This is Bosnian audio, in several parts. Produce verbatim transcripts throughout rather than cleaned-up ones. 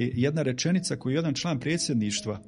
jedna rečenica koju jedan član predsjedništva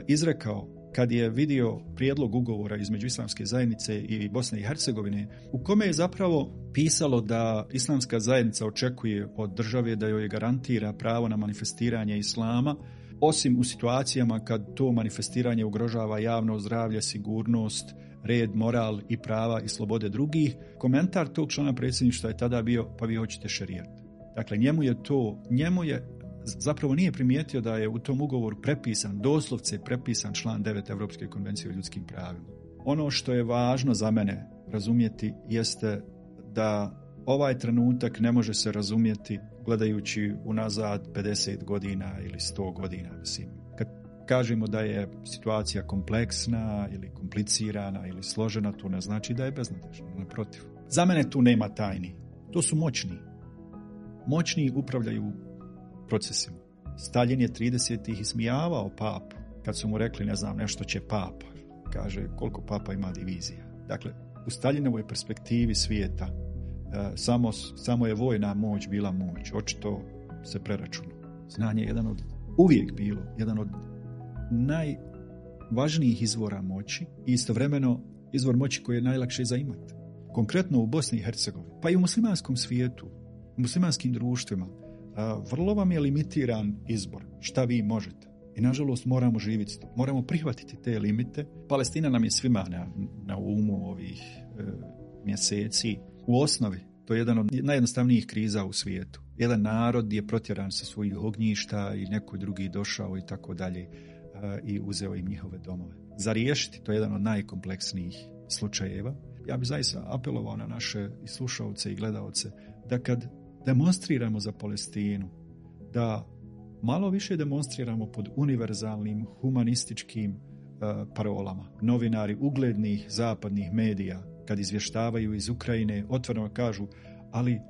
izrekao kad je vidio prijedlog ugovora između Islamske zajednice i Bosne i Hercegovine, u kome je zapravo pisalo da Islamska zajednica očekuje od države da joj garantira pravo na manifestiranje islama, osim u situacijama kad to manifestiranje ugrožava javno zdravlje, sigurnost, red, moral i prava i slobode drugih. Komentar tog člana predsjedništva je tada bio, pa vi hoćete šerijat. Dakle, njemu je to, njemu je zapravo nije primijetio da je u tom ugovoru prepisan, doslovce prepisan član devet Europske konvencije o ljudskim pravima. Ono što je važno za mene razumjeti jeste da ovaj trenutak ne može se razumjeti gledajući unazad pedeset godina ili sto godina. Mislim, kad kažemo da je situacija kompleksna ili komplicirana ili složena, to ne znači da je beznadežna. Naprotiv. Za mene tu nema tajni. To su moćni. Moćni upravljaju procesima. Staljin je tridesetih ismijavao papu kad su mu rekli, ne znam, nešto će papa. Kaže, koliko papa ima divizija. Dakle, u Staljinovoj perspektivi svijeta e, samo, samo je vojna moć bila moć. Očito se preračuna. Znanje je jedan od, uvijek bilo, jedan od najvažnijih izvora moći i istovremeno izvor moći koji je najlakše zaimati. Konkretno u Bosni i Hercegovini, pa i u muslimanskom svijetu, u muslimanskim društvima, vrlo vam je limitiran izbor šta vi možete. I nažalost moramo živjeti to. Moramo prihvatiti te limite. Palestina nam je svima na, na umu ovih e, mjeseci. U osnovi to je jedan od najjednostavnijih kriza u svijetu. Jedan narod je protjeran sa svojih ognjišta i neko drugi došao i tako dalje i uzeo im njihove domove. Za riješiti to je jedan od najkompleksnijih slučajeva. Ja bih zaista apelovao na naše i slušalce i gledaoce da kad demonstriramo za Palestinu, da malo više demonstriramo pod univerzalnim humanističkim uh, parolama. Novinari uglednih zapadnih medija, kad izvještavaju iz Ukrajine, otvoreno kažu, ali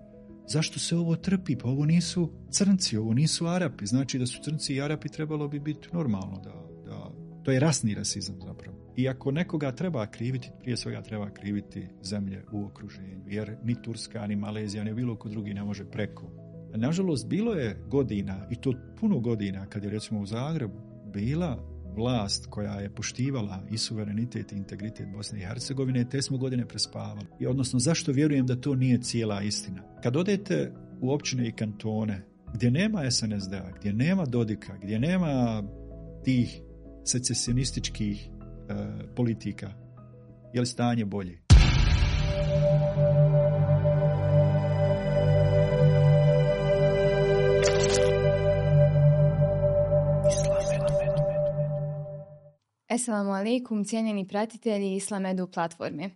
zašto se ovo trpi? Pa ovo nisu crnci, ovo nisu Arapi. Znači da su crnci i Arapi trebalo bi biti normalno. Da, da, to je rasni rasizam zapravo. I ako nekoga treba kriviti, prije svega treba kriviti zemlje u okruženju. Jer ni Turska, ni Malezija, ni bilo ko drugi ne može preko. Nažalost, bilo je godina, i to puno godina, kad je recimo u Zagrebu bila vlast koja je poštivala i suverenitet i integritet Bosne i Hercegovine, te smo godine prespavali. I odnosno, zašto vjerujem da to nije cijela istina? Kad odete u općine i kantone, gdje nema es en es de a, gdje nema Dodika, gdje nema tih secesionističkih e, politika, je li stanje bolje? Assalamu alaikum, cijenjeni pratitelji Islam Edu platforme.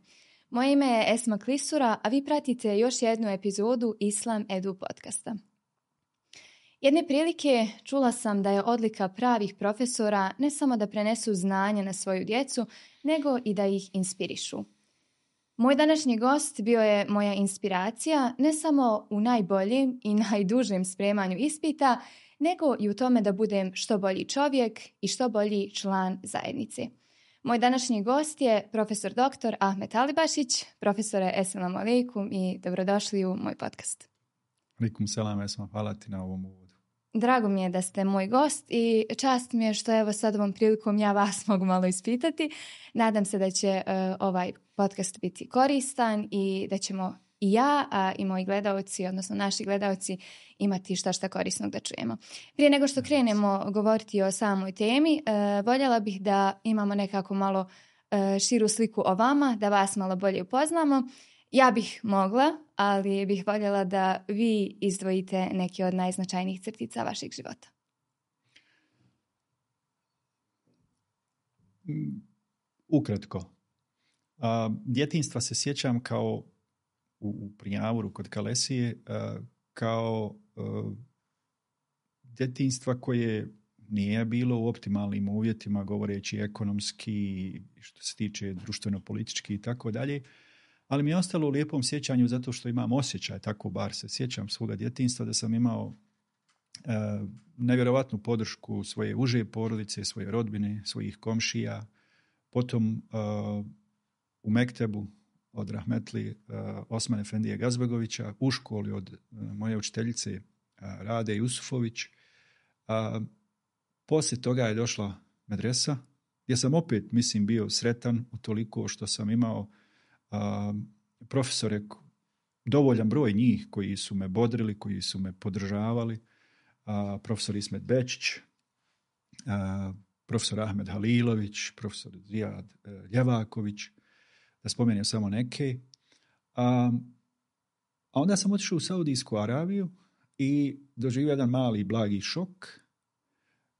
Moje ime je Esma Klisura, a vi pratite još jednu epizodu Islam Edu podcasta. Jedne prilike čula sam da je odlika pravih profesora ne samo da prenesu znanje na svoju djecu, nego i da ih inspirišu. Moj današnji gost bio je moja inspiracija ne samo u najboljem i najdužem spremanju ispita, nego i u tome da budem što bolji čovjek i što bolji član zajednice. Moj današnji gost je profesor doktor Ahmet Alibašić. Profesore, assalamu alaikum i dobrodošli u moj podcast. Alaikum selam, Esma, hvala ti na ovom uvodu. Drago mi je da ste moj gost i čast mi je što evo sad ovom prilikom ja vas mogu malo ispitati. Nadam se da će uh, ovaj podcast biti koristan i da ćemo i ja, a i moji gledaoci, odnosno naši gledaoci, imati šta šta korisnog da čujemo. Prije nego što krenemo govoriti o samoj temi, uh, voljela bih da imamo nekako malo uh, širu sliku o vama, da vas malo bolje upoznamo. Ja bih mogla, ali bih voljela da vi izdvojite neke od najznačajnijih crtica vašeg života. Ukratko. Uh, djetinjstva se sjećam kao u, u Prinjavuru kod Kalesije, uh, kao uh, djetinjstva koje nije bilo u optimalnim uvjetima, govoreći ekonomski, što se tiče društveno-politički i tako dalje. Ali mi je ostalo u lijepom sjećanju zato što imam osjećaj, tako bar se sjećam svoga djetinjstva, da sam imao e, nevjerovatnu podršku svoje uže porodice, svoje rodbine, svojih komšija. Potom e, u Mektebu od rahmetli e, Osman Efendije Gazbegovića, u školi od e, moje učiteljice e, Rade Jusufović. E, A, poslije toga je došla medresa, gdje sam opet, mislim, bio sretan utoliko što sam imao a, profesore, dovoljan broj njih koji su me bodrili, koji su me podržavali. A, profesor Ismet Bečić, a, profesor Ahmed Halilović, profesor Zijad Ljevaković, da spomenem samo neke. A, a onda sam otišao u Saudijsku Arabiju i doživio jedan mali blagi šok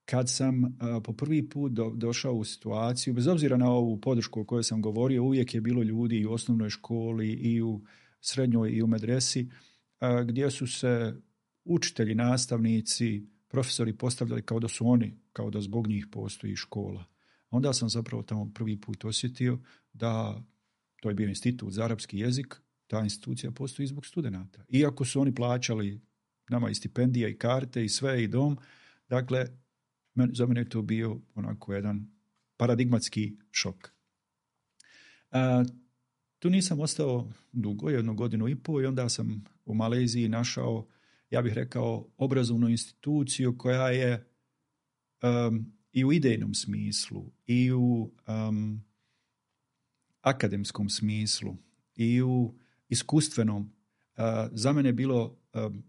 kad sam a, po prvi put do, došao u situaciju, bez obzira na ovu podršku o kojoj sam govorio, uvijek je bilo ljudi i u osnovnoj školi i u srednjoj i u medresi, a, gdje su se učitelji, nastavnici, profesori postavljali kao da su oni, kao da zbog njih postoji škola. Onda sam zapravo tamo prvi put osjetio da to je bio institut za arapski jezik, ta institucija postoji zbog studenata. Iako su oni plaćali nama i stipendije i karte i sve i dom, dakle, za mene je to bio onako jedan paradigmatski šok. A, tu nisam ostao dugo, jednu godinu i pol, i onda sam u Maleziji našao, ja bih rekao, obrazovnu instituciju koja je um, i u idejnom smislu, i u um, akademskom smislu, i u iskustvenom, uh, za mene bilo, um,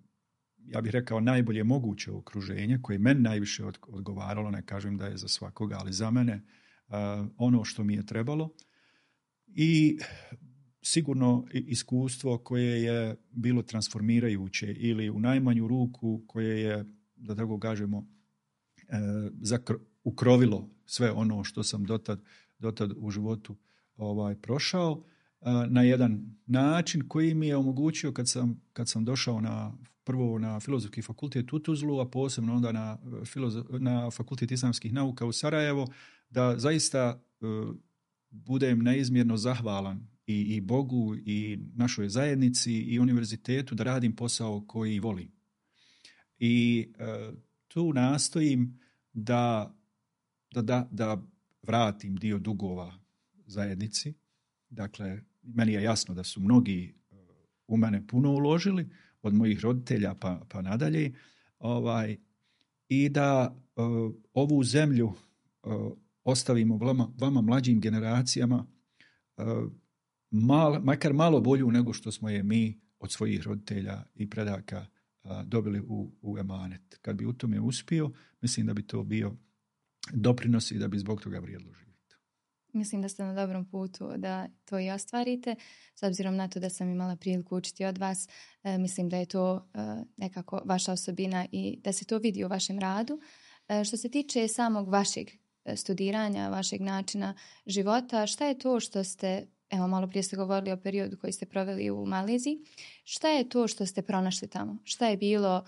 ja bih rekao, najbolje moguće okruženje, koje meni najviše odgovaralo, ne kažem da je za svakoga, ali za mene uh, ono što mi je trebalo. I sigurno iskustvo koje je bilo transformirajuće ili u najmanju ruku koje je, da tako kažemo, zakro, ukrovilo sve ono što sam dotad, dotad u životu ovaj, prošao na jedan način koji mi je omogućio kad sam, kad sam došao na, prvo na Filozofski fakultet u Tuzlu, a posebno onda na, filozof, na Fakultet islamskih nauka u Sarajevo, da zaista uh, budem neizmjerno zahvalan i, i Bogu i našoj zajednici i univerzitetu da radim posao koji volim. I uh, tu nastojim da, da, da, da vratim dio dugova zajednici. Dakle, meni je jasno da su mnogi u mene puno uložili, od mojih roditelja pa, pa nadalje, ovaj, i da uh, ovu zemlju uh, ostavimo vama, vama mlađim generacijama uh, mal, makar malo bolju nego što smo je mi od svojih roditelja i predaka uh, dobili u, u emanet. Kad bi u tome uspio, mislim da bi to bio doprinos i da bi zbog toga vrijedilo živjeti. Mislim da ste na dobrom putu da to i ostvarite. S obzirom na to da sam imala priliku učiti od vas, e, mislim da je to e, nekako vaša osobina i da se to vidi u vašem radu. E, što se tiče samog vašeg studiranja, vašeg načina života, šta je to što ste, evo malo prije ste govorili o periodu koji ste proveli u Maleziji, šta je to što ste pronašli tamo? Šta je bilo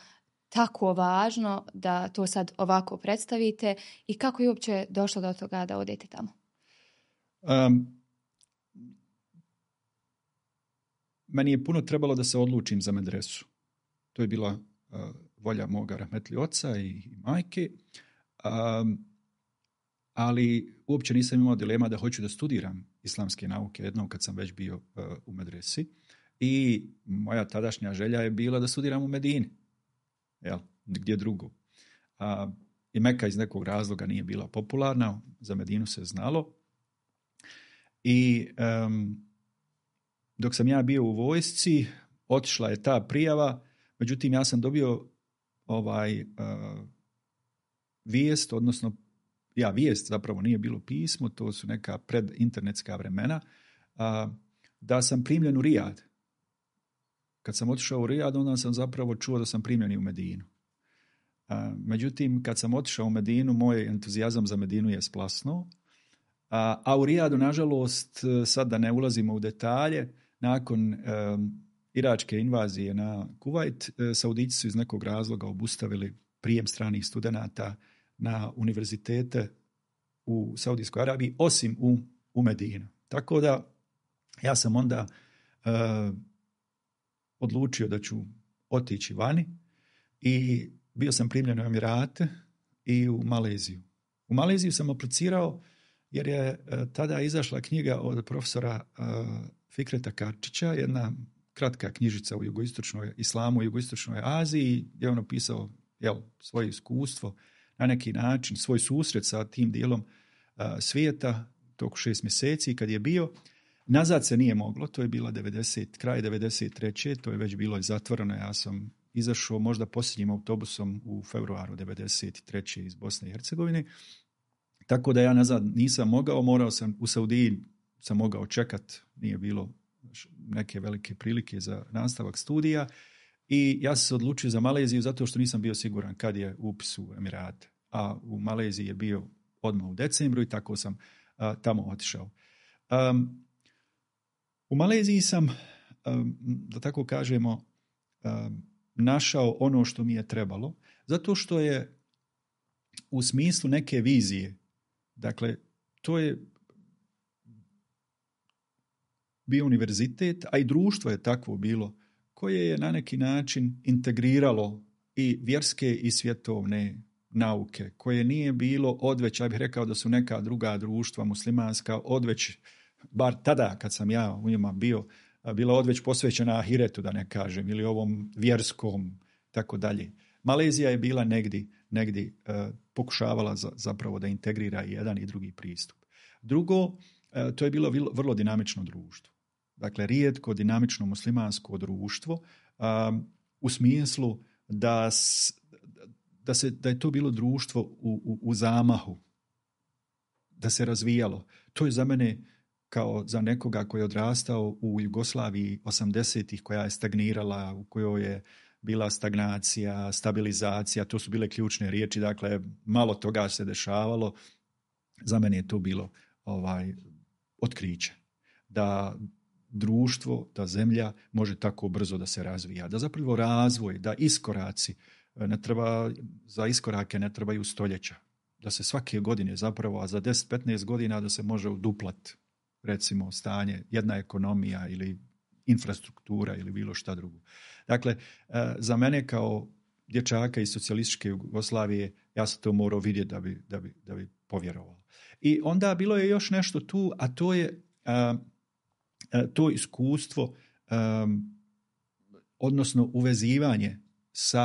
tako važno da to sad ovako predstavite i kako je uopće došlo do toga da odete tamo? Um, meni je puno trebalo da se odlučim za medresu. To je bila uh, volja moga rahmetli oca i, i majke, um, ali uopće nisam imao dilema da hoću da studiram islamske nauke jednom kad sam već bio uh, u medresi. I moja tadašnja želja je bila da studiram u Medini. Jel, gdje drugo. Uh, I Meka iz nekog razloga nije bila popularna, za Medinu se znalo. I um, dok sam ja bio u vojsci, otišla je ta prijava, međutim ja sam dobio ovaj uh, vijest, odnosno ja vijest zapravo nije bilo pismo, to su neka predinternetska vremena, uh, da sam primljen u Rijad. Kad sam otišao u Rijad, onda sam zapravo čuo da sam primljen i u Medinu. Uh, međutim, kad sam otišao u Medinu, moj entuzijazam za Medinu je splasnuo. A, a u Rijadu, nažalost, sad da ne ulazimo u detalje, nakon um, iračke invazije na Kuvajt, Saudici su iz nekog razloga obustavili prijem stranih studenata na univerzitete u Saudijskoj Arabiji, osim u, u Medinu. Tako da ja sam onda uh, odlučio da ću otići vani i bio sam primljen u Emirate i u Maleziju. U Maleziju sam aplicirao jer je tada izašla knjiga od profesora uh, Fikreta Karčića, jedna kratka knjižica u jugoistočnoj islamu u jugoistočnoj Aziji, gdje je on opisao jel, svoje iskustvo, na neki način svoj susret sa tim dijelom uh, svijeta toko šest mjeseci kad je bio. Nazad se nije moglo, to je bila devedeset, kraj devedeset treće to je već bilo i zatvoreno. Ja sam izašao možda posljednjim autobusom u februaru devedeset treće iz Bosne i Hercegovine. Tako da ja nazad nisam mogao, morao sam u Saudiji, sam mogao čekat, nije bilo neke velike prilike za nastavak studija i ja sam se odlučio za Maleziju zato što nisam bio siguran kad je upis u Emirate. A u Maleziji je bio odmah u decembru i tako sam a, tamo otišao. Um, u Maleziji sam, um, da tako kažemo, um, našao ono što mi je trebalo, zato što je u smislu neke vizije, dakle, to je bio univerzitet, a i društvo je takvo bilo, koje je na neki način integriralo i vjerske i svjetovne nauke, koje nije bilo odveć, ja bih rekao da su neka druga društva muslimanska odveć, bar tada kad sam ja u njima bio, bila odveć posvećena ahiretu, da ne kažem, ili ovom vjerskom, tako dalje. Malezija je bila negdje, negdje uh, pokušavala za, zapravo da integrira jedan i drugi pristup. Drugo, uh, to je bilo vrlo, vrlo dinamično društvo. Dakle, rijetko dinamično muslimansko društvo um, u smislu da, s, da, se, da je to bilo društvo u, u, u zamahu, da se razvijalo. To je za mene kao za nekoga koji je odrastao u Jugoslaviji osamdesetih koja je stagnirala, u kojoj je bila stagnacija, stabilizacija, to su bile ključne riječi, dakle malo toga se dešavalo. Za mene je to bilo ovaj, otkriće. Da društvo, da zemlja može tako brzo da se razvija, da zapravo razvoj, da iskoraci, ne treba, za iskorake ne trebaju stoljeća, da se svake godine zapravo, a za deset do petnaest godina da se može uduplat, recimo stanje, jedna ekonomija ili infrastruktura ili bilo šta drugo. Dakle, za mene kao dječaka iz socijalističke Jugoslavije, ja sam to morao vidjeti da bi, da bi, da bi povjerovao. I onda bilo je još nešto tu, a to je a, a, to iskustvo, a, odnosno uvezivanje sa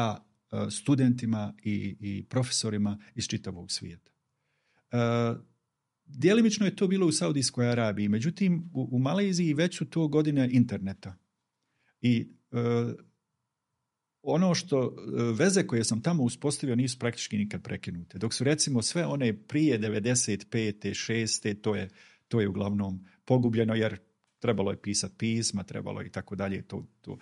a, studentima i, i profesorima iz čitavog svijeta. A, Djelimično je to bilo u Saudijskoj Arabiji, međutim u, u Maleziji već su to godine interneta. I e, ono što veze koje sam tamo uspostavio nisu praktički nikad prekinute. Dok su recimo sve one prije devedeset pete šeste to je, to je uglavnom pogubljeno jer trebalo je pisati pisma, trebalo je i tako dalje. To, to.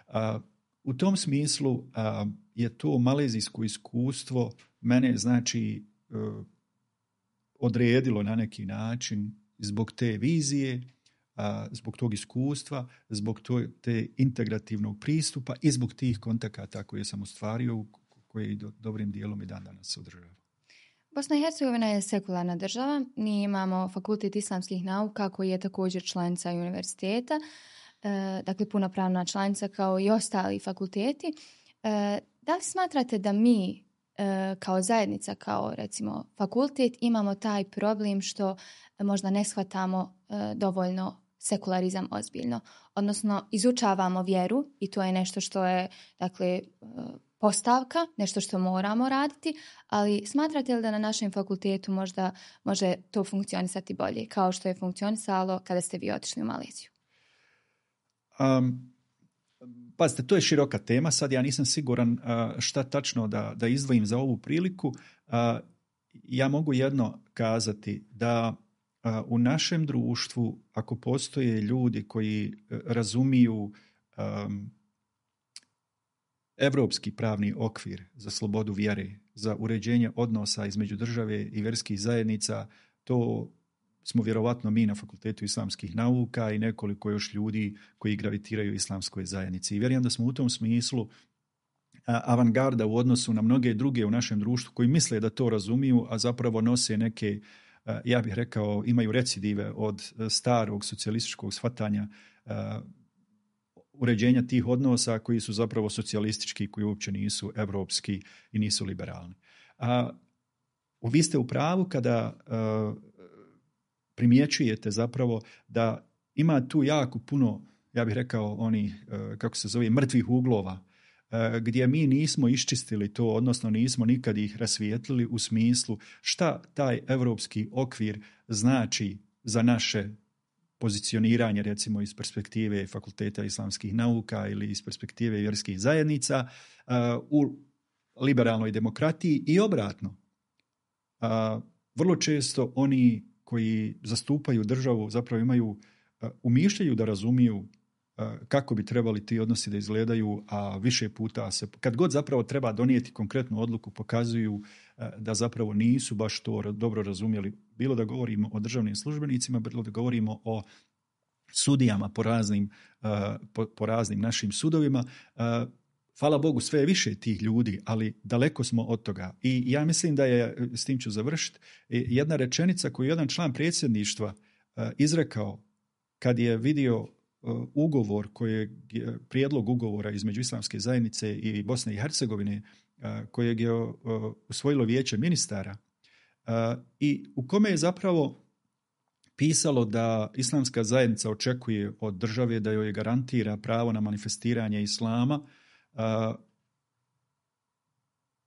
A, u tom smislu a, je to malezijsko iskustvo mene znači e, odredilo na neki način zbog te vizije, zbog tog iskustva, zbog te integrativnog pristupa i zbog tih kontakata koje sam ostvario, koje do, dobrim dijelom i dan danas se održava. Bosna i Hercegovina je sekularna država. Mi imamo Fakultet islamskih nauka koji je također članica univerziteta, dakle punopravna članica kao i ostali fakulteti. Da li smatrate da mi kao zajednica, kao recimo fakultet, imamo taj problem što možda ne shvatamo dovoljno sekularizam ozbiljno. Odnosno, izučavamo vjeru i to je nešto što je, dakle, postavka, nešto što moramo raditi, ali smatrate li da na našem fakultetu možda može to funkcionisati bolje, kao što je funkcionisalo kada ste vi otišli u Maleziju? Um... Pazite, to je široka tema, sad ja nisam siguran šta tačno da, da izdvojim za ovu priliku. Ja mogu jedno kazati da u našem društvu, ako postoje ljudi koji razumiju um, evropski pravni okvir za slobodu vjere, za uređenje odnosa između države i vjerskih zajednica, to smo vjerovatno mi na Fakultetu islamskih nauka i nekoliko još ljudi koji gravitiraju islamskoj zajednici. I vjerujem da smo u tom smislu avangarda u odnosu na mnoge druge u našem društvu koji misle da to razumiju, a zapravo nose neke, ja bih rekao, imaju recidive od starog socijalističkog shvatanja uređenja tih odnosa koji su zapravo socijalistički, koji uopće nisu evropski i nisu liberalni. A, vi ste u pravu kada a, primjećujete zapravo da ima tu jako puno, ja bih rekao, oni, kako se zove, mrtvih uglova gdje mi nismo iščistili to, odnosno nismo nikad ih rasvijetlili u smislu šta taj europski okvir znači za naše pozicioniranje, recimo iz perspektive Fakulteta islamskih nauka ili iz perspektive vjerskih zajednica u liberalnoj demokratiji i obratno. Vrlo često oni koji zastupaju državu zapravo imaju, umišljaju da razumiju kako bi trebali ti odnosi da izgledaju, a više puta se, kad god zapravo treba donijeti konkretnu odluku, pokazuju da zapravo nisu baš to dobro razumjeli. Bilo da govorimo o državnim službenicima, bilo da govorimo o sudijama po raznim, po, po raznim našim sudovima. Hvala Bogu, sve je više tih ljudi, ali daleko smo od toga. I ja mislim da je, s tim ću završiti, jedna rečenica koju jedan član predsjedništva izrekao kad je vidio ugovor, koji je prijedlog ugovora između Islamske zajednice i Bosne i Hercegovine, kojeg je usvojilo vijeće ministara i u kome je zapravo pisalo da Islamska zajednica očekuje od države da joj garantira pravo na manifestiranje islama,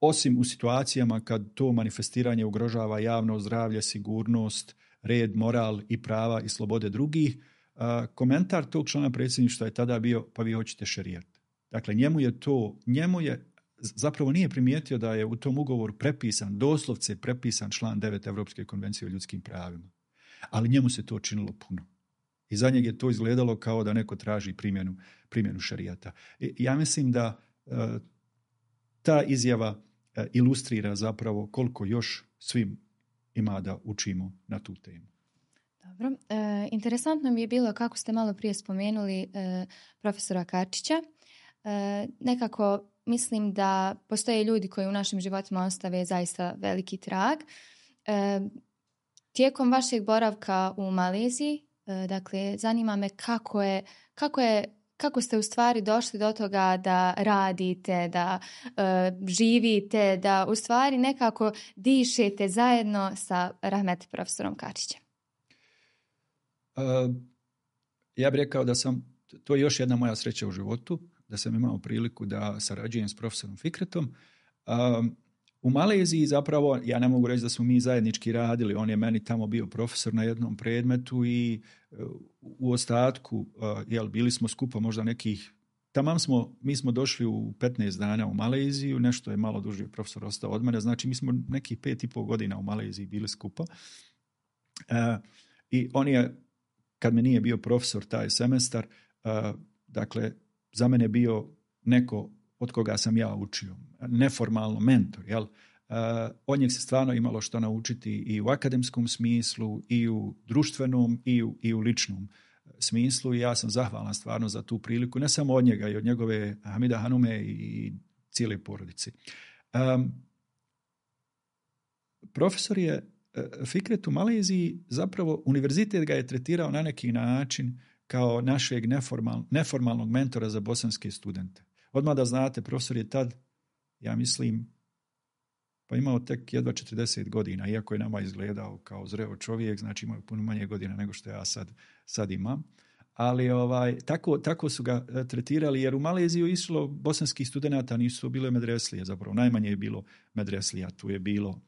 osim u situacijama kad to manifestiranje ugrožava javno zdravlje, sigurnost, red, moral i prava i slobode drugih. Komentar tog člana predsjedništva je tada bio, pa vi hoćete šerijat. Dakle, njemu je to, njemu je, zapravo nije primijetio da je u tom ugovoru prepisan, doslovce prepisan član devet Europske konvencije o ljudskim pravima. Ali njemu se to činilo puno. I za njeg je to izgledalo kao da neko traži primjenu, primjenu šerijata. I ja mislim da uh, ta izjava uh, ilustrira zapravo koliko još svim ima da učimo na tu temu. Dobro. E, interesantno mi je bilo kako ste malo prije spomenuli e, profesora Karčića. E, nekako mislim da postoje ljudi koji u našim životima ostave zaista veliki trag. E, tijekom vašeg boravka u Maleziji, e, dakle, zanima me kako je, kako je kako ste u stvari došli do toga da radite, da e, živite, da u stvari nekako dišete zajedno sa rahmet profesorom Karčićem. Uh, ja bih rekao da sam, to je još jedna moja sreća u životu, da sam imao priliku da sarađujem s profesorom Fikretom. Uh, u Maleziji zapravo, ja ne mogu reći da smo mi zajednički radili, on je meni tamo bio profesor na jednom predmetu i uh, u ostatku, uh, jel, bili smo skupa možda nekih, tamam smo, mi smo došli u petnaest dana u Maleziju, nešto je malo duži profesor ostao od mene, znači mi smo nekih pet i pol godina u Maleziji bili skupa. Uh, I on je, kad me nije bio profesor taj semestar, uh, dakle, za mene bio neko od koga sam ja učio, neformalno mentor, jel? Uh, od njeg se stvarno imalo što naučiti i u akademskom smislu, i u društvenom, i u, i u ličnom smislu. I ja sam zahvalan stvarno za tu priliku, ne samo od njega, i od njegove Hamida Hanume i cijele porodice. Um, profesor je Fikret u Maleziji, zapravo univerzitet ga je tretirao na neki način kao našeg neformal, neformalnog mentora za bosanske studente. Odmah da znate, profesor je tad, ja mislim, pa imao tek jedva četrdeset godina, iako je nama izgledao kao zreo čovjek, znači imao puno manje godina nego što ja sad, sad imam. Ali ovaj, tako, tako su ga tretirali, jer u Maleziju išlo bosanskih studenata, nisu bile medreslije, zapravo najmanje je bilo medreslija, tu je bilo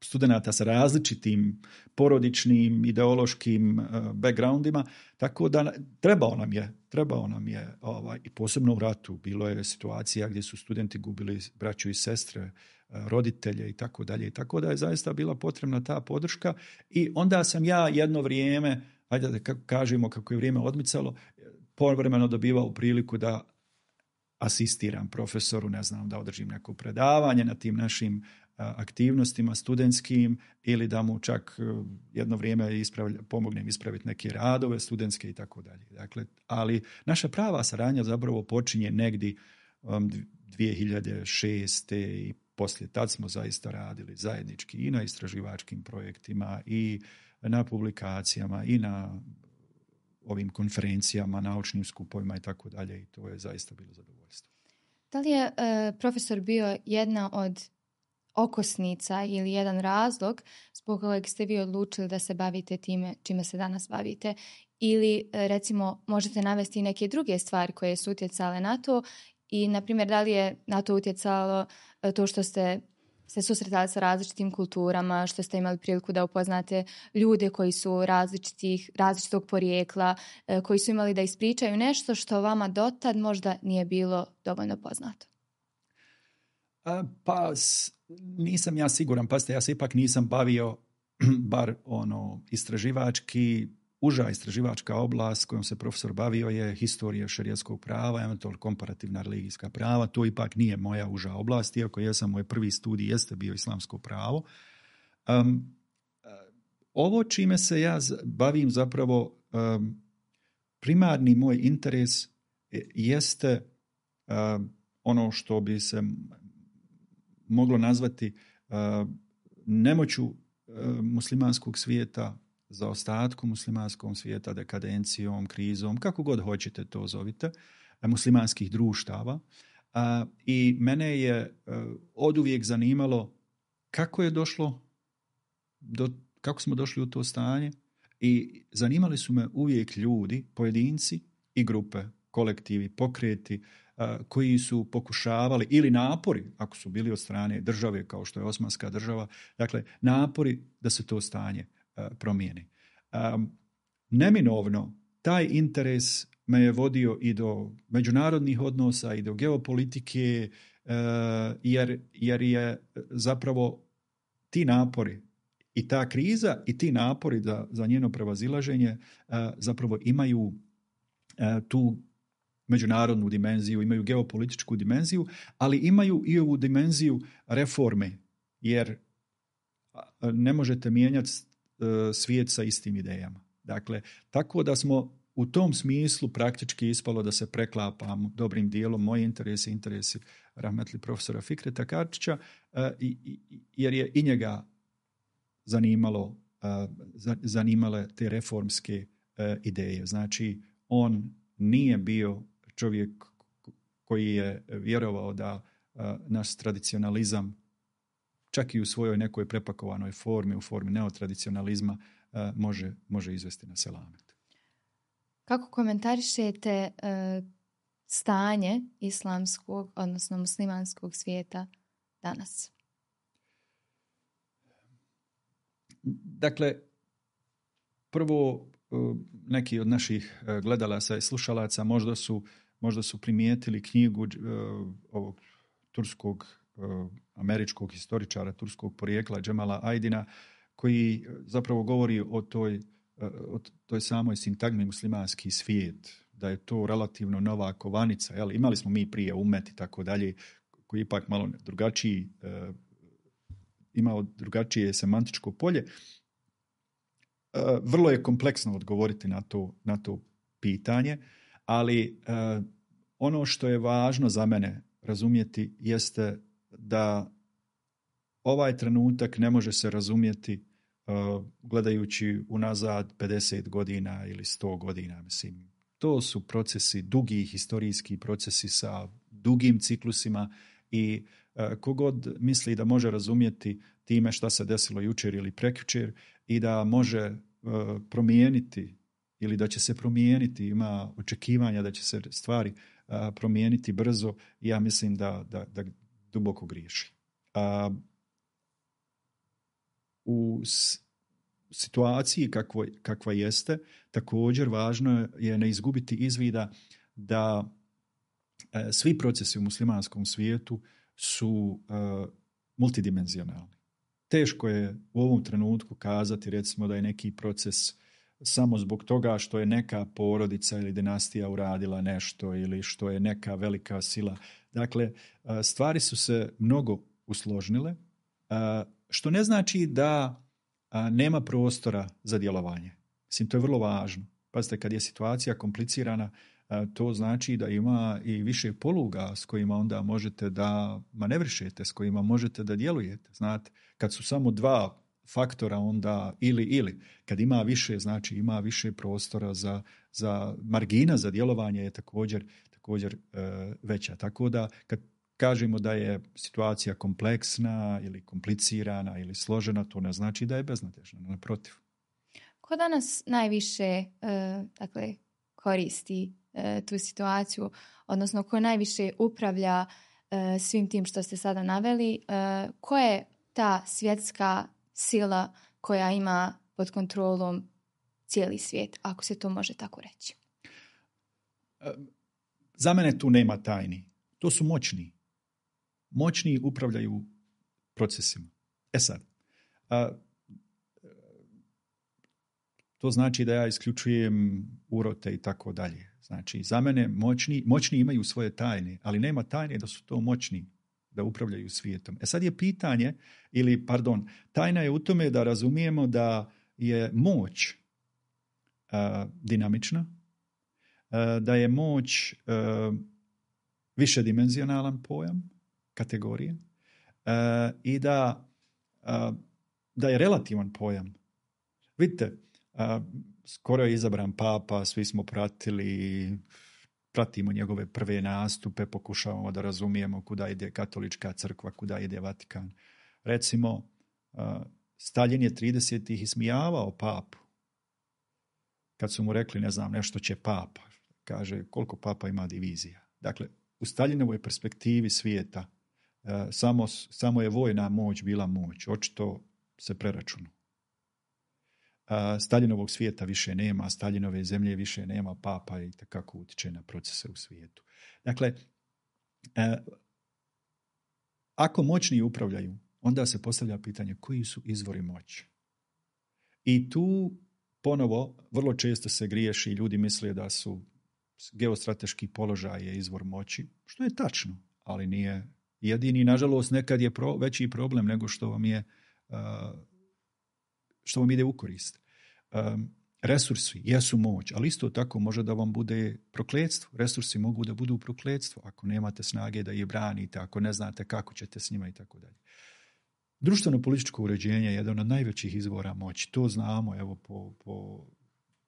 studenata sa različitim porodičnim, ideološkim backgroundima, tako da trebao nam je, trebao nam je ovaj, i posebno u ratu, bilo je situacija gdje su studenti gubili braću i sestre, roditelje i tako dalje, i tako da je zaista bila potrebna ta podrška. I onda sam ja jedno vrijeme, ajde da kažemo kako je vrijeme odmicalo, povremeno dobivao priliku da asistiram profesoru, ne znam, da održim neko predavanje na tim našim aktivnostima studentskim ili da mu čak jedno vrijeme ispravlja, pomognem ispraviti neke radove studentske i tako dalje. Dakle, ali naša prava saradnja zapravo počinje negdje um, dvije hiljade šeste i poslije tad smo zaista radili zajednički i na istraživačkim projektima i na publikacijama i na ovim konferencijama, naučnim skupovima i tako dalje, i to je zaista bilo zadovoljstvo. Da li je e, profesor bio jedna od okosnica ili jedan razlog zbog kojeg ste vi odlučili da se bavite time čime se danas bavite? ili recimo možete navesti neke druge stvari koje su utjecale na to i na primjer da li je na to utjecalo to što ste se susretali sa različitim kulturama, što ste imali priliku da upoznate ljude koji su različitih, različitog porijekla, koji su imali da ispričaju nešto što vama dotad možda nije bilo dovoljno poznato? A, pa nisam ja siguran, pazite, ja se ipak nisam bavio bar ono istraživački, uža istraživačka oblast kojom se profesor bavio je historija šerijatskog prava, eventualno komparativna religijska prava. To ipak nije moja uža oblast, iako jesam moj prvi studij jeste bio islamsko pravo. Um, ovo čime se ja bavim zapravo um, primarni moj interes jeste um, ono što bi se moglo nazvati uh, nemoću uh, muslimanskog svijeta, za ostatku muslimanskog svijeta, dekadencijom, krizom, kako god hoćete to zovite, muslimanskih društava. A, i mene je a, oduvijek zanimalo kako je došlo do, kako smo došli u to stanje i zanimali su me uvijek ljudi, pojedinci i grupe, kolektivi, pokreti a, koji su pokušavali ili napori, ako su bili od strane države kao što je Osmanska država, dakle napori da se to stanje promijeni. Um, neminovno taj interes me je vodio i do međunarodnih odnosa i do geopolitike uh, jer, jer je zapravo ti napori i ta kriza i ti napori za, za njeno prevazilaženje uh, zapravo imaju uh, tu međunarodnu dimenziju, imaju geopolitičku dimenziju, ali imaju i ovu dimenziju reforme, jer ne možete mijenjati svijet sa istim idejama. Dakle, tako da smo u tom smislu praktički ispalo da se preklapamo dobrim dijelom moji interesi, interesi rahmetli profesora Fikreta Karčića, jer je i njega zanimalo, zanimale te reformske ideje. Znači, on nije bio čovjek koji je vjerovao da naš tradicionalizam čak i u svojoj nekoj prepakovanoj formi, u formi neotradicionalizma, može, može izvesti na selamet. Kako komentarišete stanje islamskog, odnosno muslimanskog svijeta danas? Dakle, prvo neki od naših gledalaca i slušalaca možda su, možda su primijetili knjigu ovog turskog američkog historičara turskog porijekla Džemala Ajdina, koji zapravo govori o toj, o toj samoj sintagmi muslimanski svijet, da je to relativno nova kovanica. Jel? Imali smo mi prije umet i tako dalje, koji ipak malo drugačiji, imao drugačije semantičko polje. Vrlo je kompleksno odgovoriti na to, na to pitanje, ali ono što je važno za mene razumjeti jeste da ovaj trenutak ne može se razumjeti uh, gledajući unazad pedeset godina ili sto godina. Mislim, to su procesi, dugi historijski procesi sa dugim ciklusima i uh, kogod misli da može razumjeti time šta se desilo jučer ili prekjučer i da može uh, promijeniti ili da će se promijeniti, ima očekivanja da će se stvari uh, promijeniti brzo, ja mislim da, da, da duboko griješi. A, u s, situaciji kakvo, kakva jeste, također važno je ne izgubiti iz vida da e, svi procesi u muslimanskom svijetu su e, multidimenzionalni. Teško je u ovom trenutku kazati recimo da je neki proces samo zbog toga što je neka porodica ili dinastija uradila nešto ili što je neka velika sila. Dakle, stvari su se mnogo usložnile, što ne znači da nema prostora za djelovanje. Mislim, to je vrlo važno. Pazite, kad je situacija komplicirana, to znači da ima i više poluga s kojima onda možete da manevrišete, s kojima možete da djelujete. Znate, kad su samo dva faktora, onda ili ili. Kad ima više, znači ima više prostora za, za margina za djelovanje je također, također e, veća. Tako da kad kažemo da je situacija kompleksna ili komplicirana ili složena, to ne znači da je beznadežna, naprotiv. ko danas najviše uh, dakle, koristi uh, tu situaciju, odnosno ko najviše upravlja uh, svim tim što ste sada naveli, uh, ko je ta svjetska sila koja ima pod kontrolom cijeli svijet, ako se to može tako reći? Za mene tu nema tajni. To su moćni. Moćni upravljaju procesima. E sad, a, to znači da ja isključujem urote i tako dalje. Znači, za mene moćni, moćni imaju svoje tajne, ali nema tajne da su to moćni, da upravljaju svijetom. E sad je pitanje, ili pardon, tajna je u tome da razumijemo da je moć a, dinamična, a, da je moć a, višedimenzionalan pojam, kategorije, a, i da, a, da je relativan pojam. Vidite, a, skoro je izabran papa, svi smo pratili, pratimo njegove prve nastupe, pokušavamo da razumijemo kuda ide katolička crkva, kuda ide Vatikan. Recimo, a, Staljin je tridesetih ismijavao papu. Kad su mu rekli, ne znam, nešto će papa. Kaže, koliko papa ima divizija. Dakle, u Staljinovoj perspektivi svijeta a, samo, samo je vojna moć bila moć. Očito se preračunu. Staljinovog svijeta više nema, Staljinove zemlje više nema, papa i takako utiče na procese u svijetu. Dakle, eh, ako moćni upravljaju, onda se postavlja pitanje koji su izvori moći. I tu ponovo vrlo često se griješi i ljudi misle da su geostrateški položaj je izvor moći, što je tačno, ali nije jedini. Nažalost, nekad je pro, veći problem nego što vam je uh, što vam ide u korist. Um, resursi jesu moć, ali isto tako može da vam bude prokletstvo. Resursi mogu da budu prokletstvo ako nemate snage da ih branite, ako ne znate kako ćete s njima i tako dalje. Društveno-političko uređenje je jedan od najvećih izvora moći. To znamo evo po, po,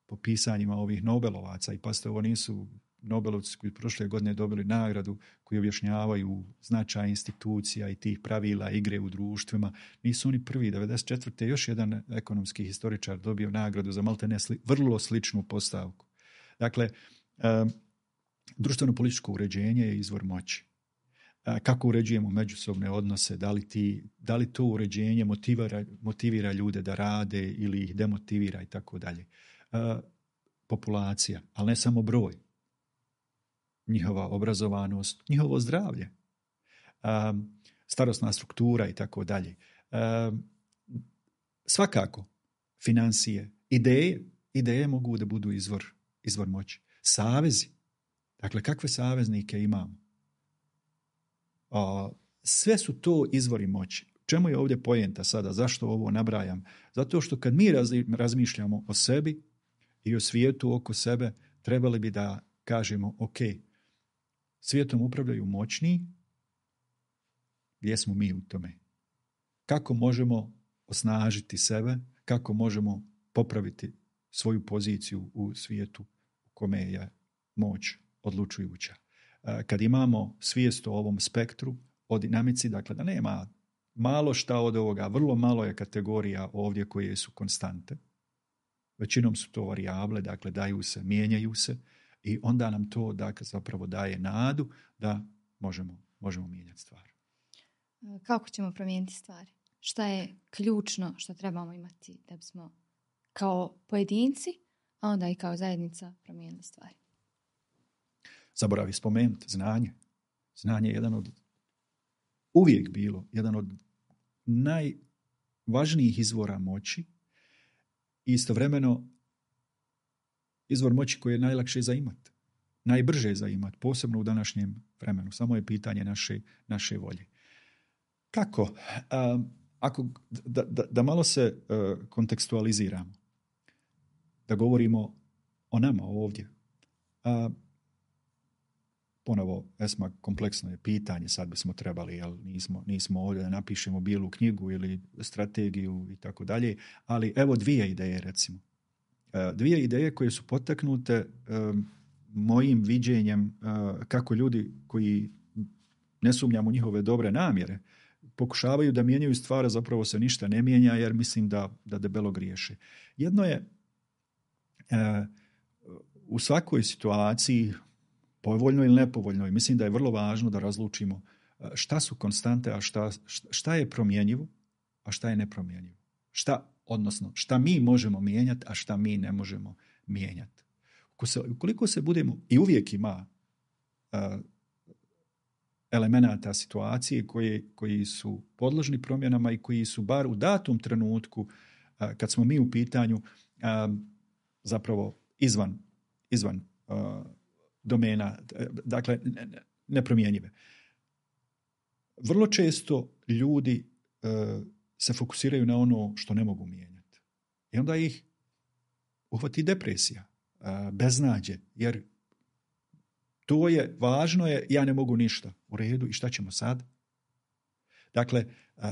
po pisanjima ovih Nobelovaca. I pasite, ovo nisu Nobelovci koji prošle godine dobili nagradu, koji objašnjavaju značaj institucija i tih pravila igre u društvima. Nisu oni prvi. devedeset četvrte još jedan ekonomski historičar dobio nagradu za maltene sli, vrlo sličnu postavku. Dakle, um, društveno-političko uređenje je izvor moći. Uh, kako uređujemo međusobne odnose, da li, ti, da li to uređenje motivira, motivira ljude da rade ili ih demotivira i tako dalje. Populacija, ali ne samo broj. Njihova obrazovanost, njihovo zdravlje, um, starosna struktura i tako dalje. Um, svakako, financije, ideje, ideje mogu da budu izvor, izvor moći. Savezi, dakle, kakve saveznike imamo? Uh, sve su to izvori moći. Čemu je ovdje poenta sada? Zašto ovo nabrajam? Zato što kad mi raz, razmišljamo o sebi i o svijetu oko sebe, trebali bi da kažemo, ok, svijetom upravljaju moćni, gdje smo mi u tome? Kako možemo osnažiti sebe? Kako možemo popraviti svoju poziciju u svijetu u kome je moć odlučujuća? Kad imamo svijest o ovom spektru, o dinamici, dakle da nema malo šta od ovoga, vrlo malo je kategorija ovdje koje su konstante. Većinom su to varijable, dakle daju se, mijenjaju se i onda nam to dakle, zapravo daje nadu da možemo, možemo mijenjati stvari. Kako ćemo promijeniti stvari? Šta je ključno što trebamo imati da bismo kao pojedinci, a onda i kao zajednica promijenili stvari? Zaboravi spomenuti znanje. Znanje je jedan od, uvijek bilo, jedan od najvažnijih izvora moći i istovremeno izvor moći koji je najlakše za imati, najbrže za imati, posebno u današnjem vremenu. Samo je pitanje naše, naše volje. Kako? Uh, ako, da, da, da malo se uh, kontekstualiziramo, da govorimo o nama ovdje. Uh, Ponovo, Esma, kompleksno je pitanje, sad bismo trebali, jel, nismo, nismo ovdje da napišemo bijelu knjigu ili strategiju i tako dalje, ali evo dvije ideje, recimo. Dvije ideje koje su potaknute um, mojim viđenjem uh, kako ljudi koji ne sumnjam u njihove dobre namjere, pokušavaju da mijenjaju stvari, zapravo se ništa ne mijenja jer mislim da, da debelo griješe. Jedno je u svakoj situaciji, povoljnoj ili nepovoljnoj, mislim da je vrlo važno da razlučimo šta su konstante, a šta, šta je promjenjivo, a šta je nepromjenjivo. Šta, odnosno, šta mi možemo mijenjati, a šta mi ne možemo mijenjati. Ukoliko se budemo, i uvijek ima uh, elemenata situacije koji, koji su podložni promjenama i koji su bar u datom trenutku, uh, kad smo mi u pitanju, uh, zapravo izvan, izvan uh, domena, dakle, nepromjenjive. Vrlo često ljudi uh, se fokusiraju na ono što ne mogu mijenjati. I onda ih uhvati depresija, uh, beznađe, jer to je, važno je, ja ne mogu ništa. U redu, i šta ćemo sad? Dakle, uh,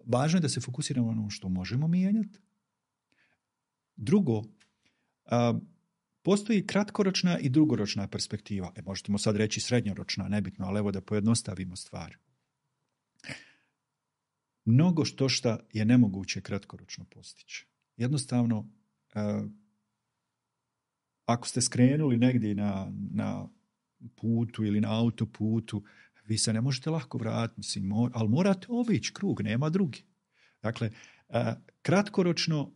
važno je da se fokusiramo na ono što možemo mijenjati. Drugo, uh, postoji kratkoročna i dugoročna perspektiva. E, možemo sad reći srednjoročna, nebitno, ali evo da pojednostavimo stvar. Mnogo što šta je nemoguće kratkoročno postići. Jednostavno, uh, ako ste skrenuli negdje na, na putu ili na autoputu, vi se ne možete lako vratiti, mislim, mor, ali morate obići krug, nema drugi. Dakle, uh, kratkoročno,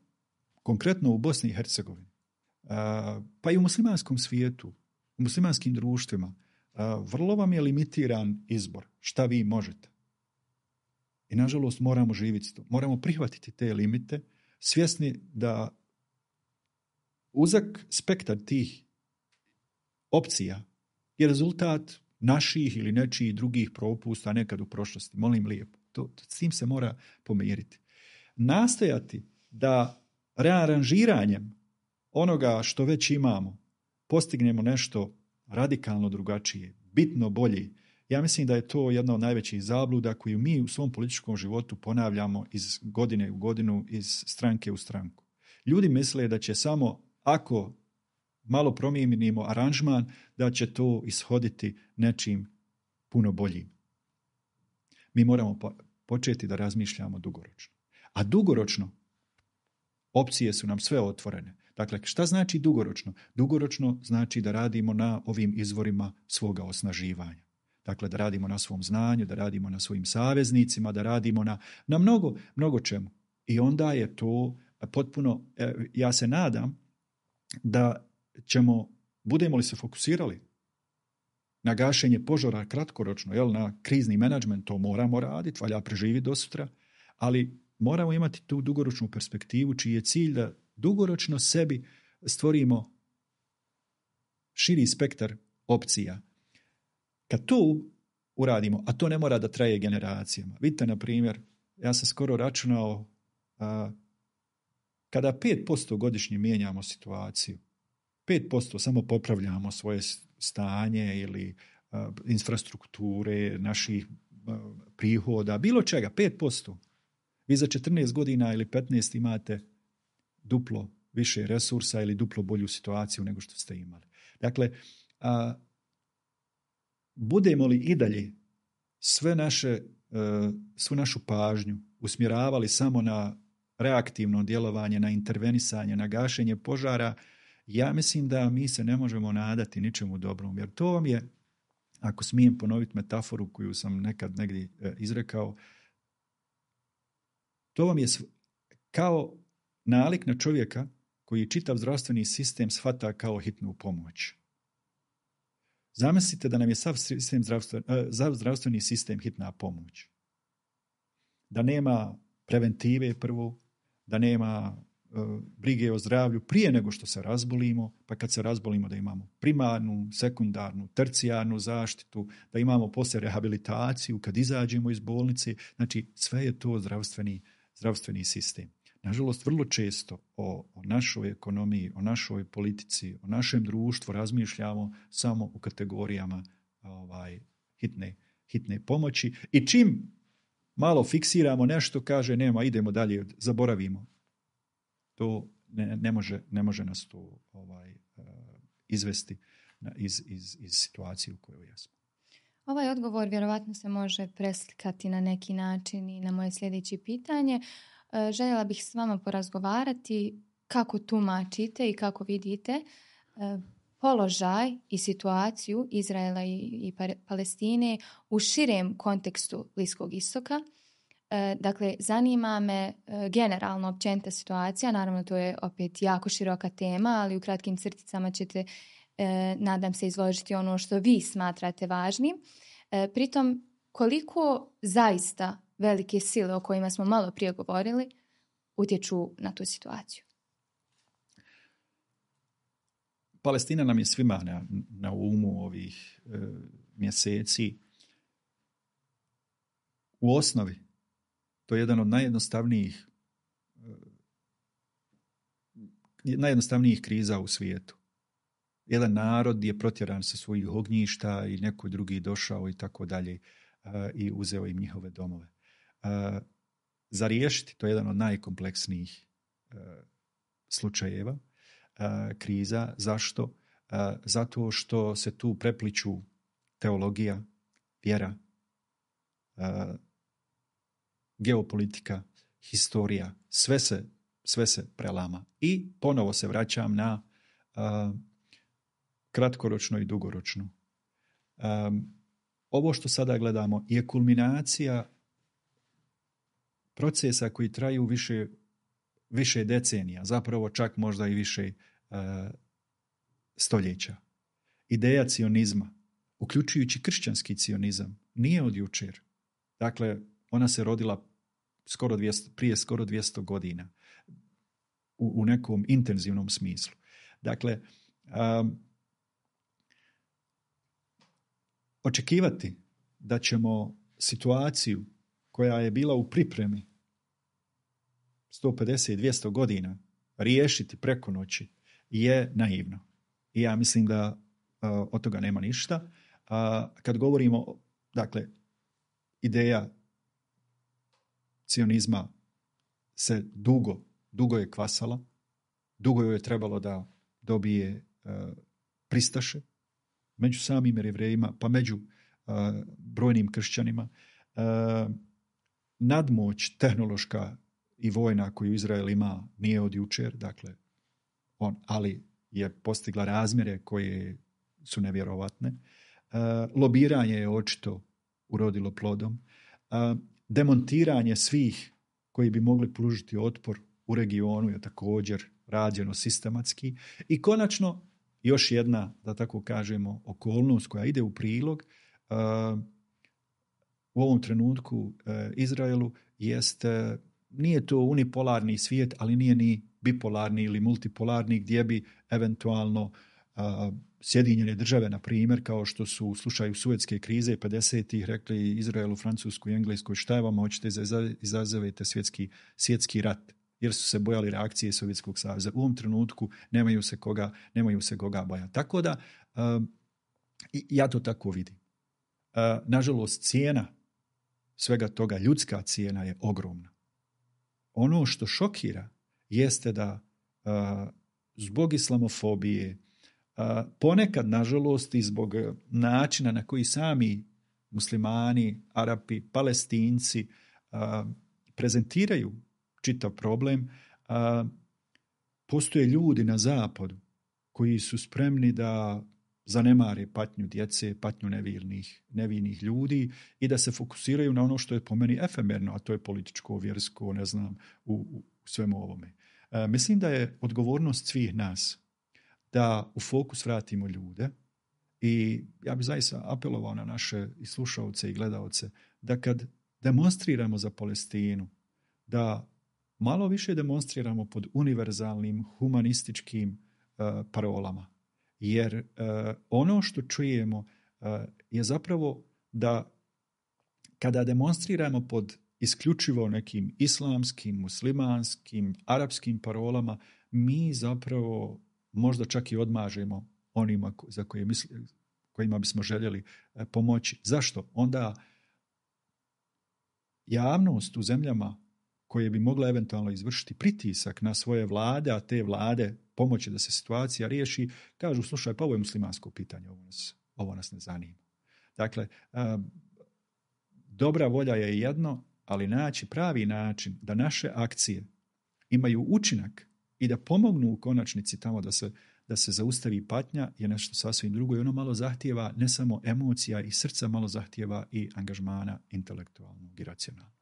konkretno u Bosni i Hercegovini, uh, pa i u muslimanskom svijetu, u muslimanskim društvima, uh, vrlo vam je limitiran izbor šta vi možete. I nažalost moramo živjeti to. Moramo prihvatiti te limite, svjesni da uzak spektar tih opcija je rezultat naših ili nečijih drugih propusta nekad u prošlosti. Molim lijepo. To, s tim se mora pomiriti. Nastojati da rearanžiranjem onoga što već imamo postignemo nešto radikalno drugačije, bitno bolje. Ja mislim da je to jedna od najvećih zabluda koju mi u svom političkom životu ponavljamo iz godine u godinu, iz stranke u stranku. Ljudi misle da će samo ako malo promijenimo aranžman, da će to ishoditi nečim puno boljim. Mi moramo početi da razmišljamo dugoročno. A dugoročno opcije su nam sve otvorene. Dakle, šta znači dugoročno? Dugoročno znači da radimo na ovim izvorima svoga osnaživanja. Dakle, da radimo na svom znanju, da radimo na svojim saveznicima, da radimo na, na mnogo, mnogo čemu. I onda je to potpuno, ja se nadam, da ćemo, budemo li se fokusirali na gašenje požara kratkoročno, jel, na krizni menadžment, to moramo raditi, valja preživjeti do sutra, ali moramo imati tu dugoročnu perspektivu čiji je cilj da dugoročno sebi stvorimo širi spektar opcija. Kad to uradimo, a to ne mora da traje generacijama. Vidite, na primjer, ja sam skoro računao a, kada pet posto godišnje mijenjamo situaciju, pet posto samo popravljamo svoje stanje ili a, infrastrukture, naših a, prihoda, bilo čega, pet posto. Vi za četrnaest godina ili petnaest imate duplo više resursa ili duplo bolju situaciju nego što ste imali. Dakle, a, budemo li i dalje sve naše, a, svu našu pažnju usmjeravali samo na reaktivno djelovanje, na intervenisanje, na gašenje požara, ja mislim da mi se ne možemo nadati ničemu dobrom. Jer to vam je, ako smijem ponoviti metaforu koju sam nekad negdje izrekao, to vam je kao nalik na čovjeka koji čitav zdravstveni sistem shvata kao hitnu pomoć. Zamislite da nam je sav sistem zdravstven, zdravstveni sistem hitna pomoć. Da nema preventive prvo, da nema uh, brige o zdravlju prije nego što se razbolimo, pa kad se razbolimo da imamo primarnu, sekundarnu, tercijarnu zaštitu, da imamo poslije rehabilitaciju kad izađemo iz bolnice. Znači, sve je to zdravstveni, zdravstveni sistem. Nažalost, vrlo često o, o našoj ekonomiji, o našoj politici, o našem društvu razmišljamo samo u kategorijama ovaj, hitne, hitne pomoći i čim malo fiksiramo nešto, kaže nema, idemo dalje, zaboravimo. To ne, ne, može, ne može nas to ovaj, izvesti iz, iz, iz situacije u kojoj jesmo. Ovaj odgovor vjerovatno se može preslikati na neki način i na moje sljedeće pitanje. Željela bih s vama porazgovarati kako tumačite i kako vidite položaj i situaciju Izraela i Palestine u širem kontekstu Bliskog istoka. Dakle, zanima me generalno općenita situacija, naravno to je opet jako široka tema, ali u kratkim crticama ćete, nadam se, izložiti ono što vi smatrate važnim. Pritom, koliko zaista velike sile o kojima smo malo prije govorili utječu na tu situaciju? Palestina nam je svima na, na umu ovih e, mjeseci. U osnovi, to je jedan od najjednostavnijih e, najjednostavnijih kriza u svijetu. Jedan narod je protjeran sa svojih ognjišta i neko drugi došao i tako dalje i uzeo im njihove domove. E, za riješiti, to je jedan od najkompleksnijih e, slučajeva, kriza. Zašto? Zato što se tu prepliču teologija, vjera, geopolitika, historija, sve se, sve se prelama. I ponovo se vraćam na kratkoročno i dugoročno. Ovo što sada gledamo je kulminacija procesa koji traju više više decenija, zapravo čak možda i više uh, stoljeća. Ideja cionizma, uključujući kršćanski cionizam, nije od jučer. Dakle, ona se rodila skoro dvjesto, prije skoro dvjesto godina u, u nekom intenzivnom smislu. Dakle, um, očekivati da ćemo situaciju koja je bila u pripremi sto pedeset do dvjesto godina riješiti preko noći je naivno. I ja mislim da uh, od toga nema ništa. Uh, kad govorimo, dakle, ideja cionizma se dugo, dugo je kvasala, dugo joj je trebalo da dobije uh, pristaše među samim Jevrejima, pa među uh, brojnim kršćanima. Uh, nadmoć tehnološka i vojna koju Izrael ima nije od jučer, dakle, on, ali je postigla razmjere koje su nevjerovatne. Uh, lobiranje je očito urodilo plodom. Uh, demontiranje svih koji bi mogli pružiti otpor u regionu je također rađeno sistematski. I konačno, još jedna, da tako kažemo, okolnost koja ide u prilog uh, u ovom trenutku uh, Izraelu jeste, nije to unipolarni svijet, ali nije ni bipolarni ili multipolarni gdje bi eventualno uh, Sjedinjene države, na primjer, kao što su u slučaju Suetske krize pedesetih rekli Izraelu, Francusku i Engleskoj, šta je vama, hoćete izazovete svjetski, svjetski rat, jer su se bojali reakcije Sovjetskog saveza. U ovom trenutku nemaju se koga, nemaju se koga bojati. Tako da, uh, ja to tako vidim. Uh, nažalost, cijena svega toga, ljudska cijena je ogromna. Ono što šokira jeste da uh, zbog islamofobije, uh, ponekad, nažalost, i zbog načina na koji sami muslimani, Arapi, Palestinci uh, prezentiraju čitav problem, uh, postoje ljudi na zapadu koji su spremni da zanemare patnju djece, patnju nevinih, nevinih ljudi i da se fokusiraju na ono što je po meni efemerno, a to je političko, vjersko, ne znam, u, u svemu ovome. E, mislim da je odgovornost svih nas da u fokus vratimo ljude i ja bih zaista apelovao na naše i slušalce i gledaoce da kad demonstriramo za Palestinu, da malo više demonstriramo pod univerzalnim, humanističkim uh, parolama. Jer uh, ono što čujemo uh, je zapravo da kada demonstriramo pod isključivo nekim islamskim, muslimanskim, arapskim parolama, mi zapravo možda čak i odmažemo onima za koje misli, kojima bismo željeli uh, pomoći. Zašto? Onda javnost u zemljama koje bi mogla eventualno izvršiti pritisak na svoje vlade, a te vlade pomoći da se situacija riješi, kažu, slušaj, pa ovo je muslimansko pitanje, ovo nas, ovo nas ne zanima. Dakle, dobra volja je jedno, ali naći pravi način da naše akcije imaju učinak i da pomognu u konačnici tamo da se, da se zaustavi patnja je nešto sasvim drugo i ono malo zahtijeva ne samo emocija i srca, malo zahtijeva i angažmana intelektualnog i racionalnog.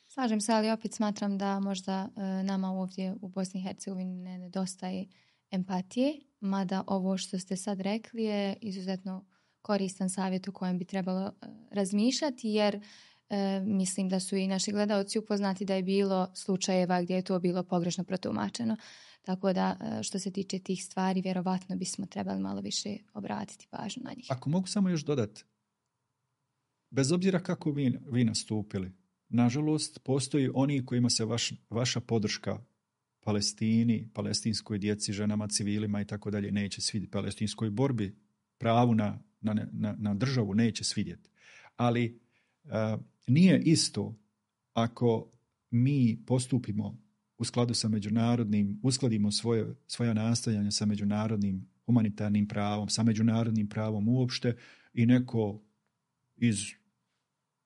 Slažem se, ali opet smatram da možda e, nama ovdje u Bosni i Hercegovini ne nedostaje empatije, mada ovo što ste sad rekli je izuzetno koristan savjet u kojem bi trebalo e, razmišljati, jer e, mislim da su i naši gledaoci upoznati da je bilo slučajeva gdje je to bilo pogrešno protumačeno. Tako da e, što se tiče tih stvari, vjerovatno bismo trebali malo više obratiti pažnju na njih. Ako mogu samo još dodati, bez obzira kako vi, vi nastupili, nažalost, postoji oni kojima se vaš, vaša podrška Palestini, palestinskoj djeci, ženama, civilima i tako dalje neće svidjeti. Palestinskoj borbi, pravu na, na, na, na državu neće svidjeti. Ali uh, nije isto ako mi postupimo u skladu sa međunarodnim, uskladimo svoje, svoja nastojanja sa međunarodnim humanitarnim pravom, sa međunarodnim pravom uopšte i neko iz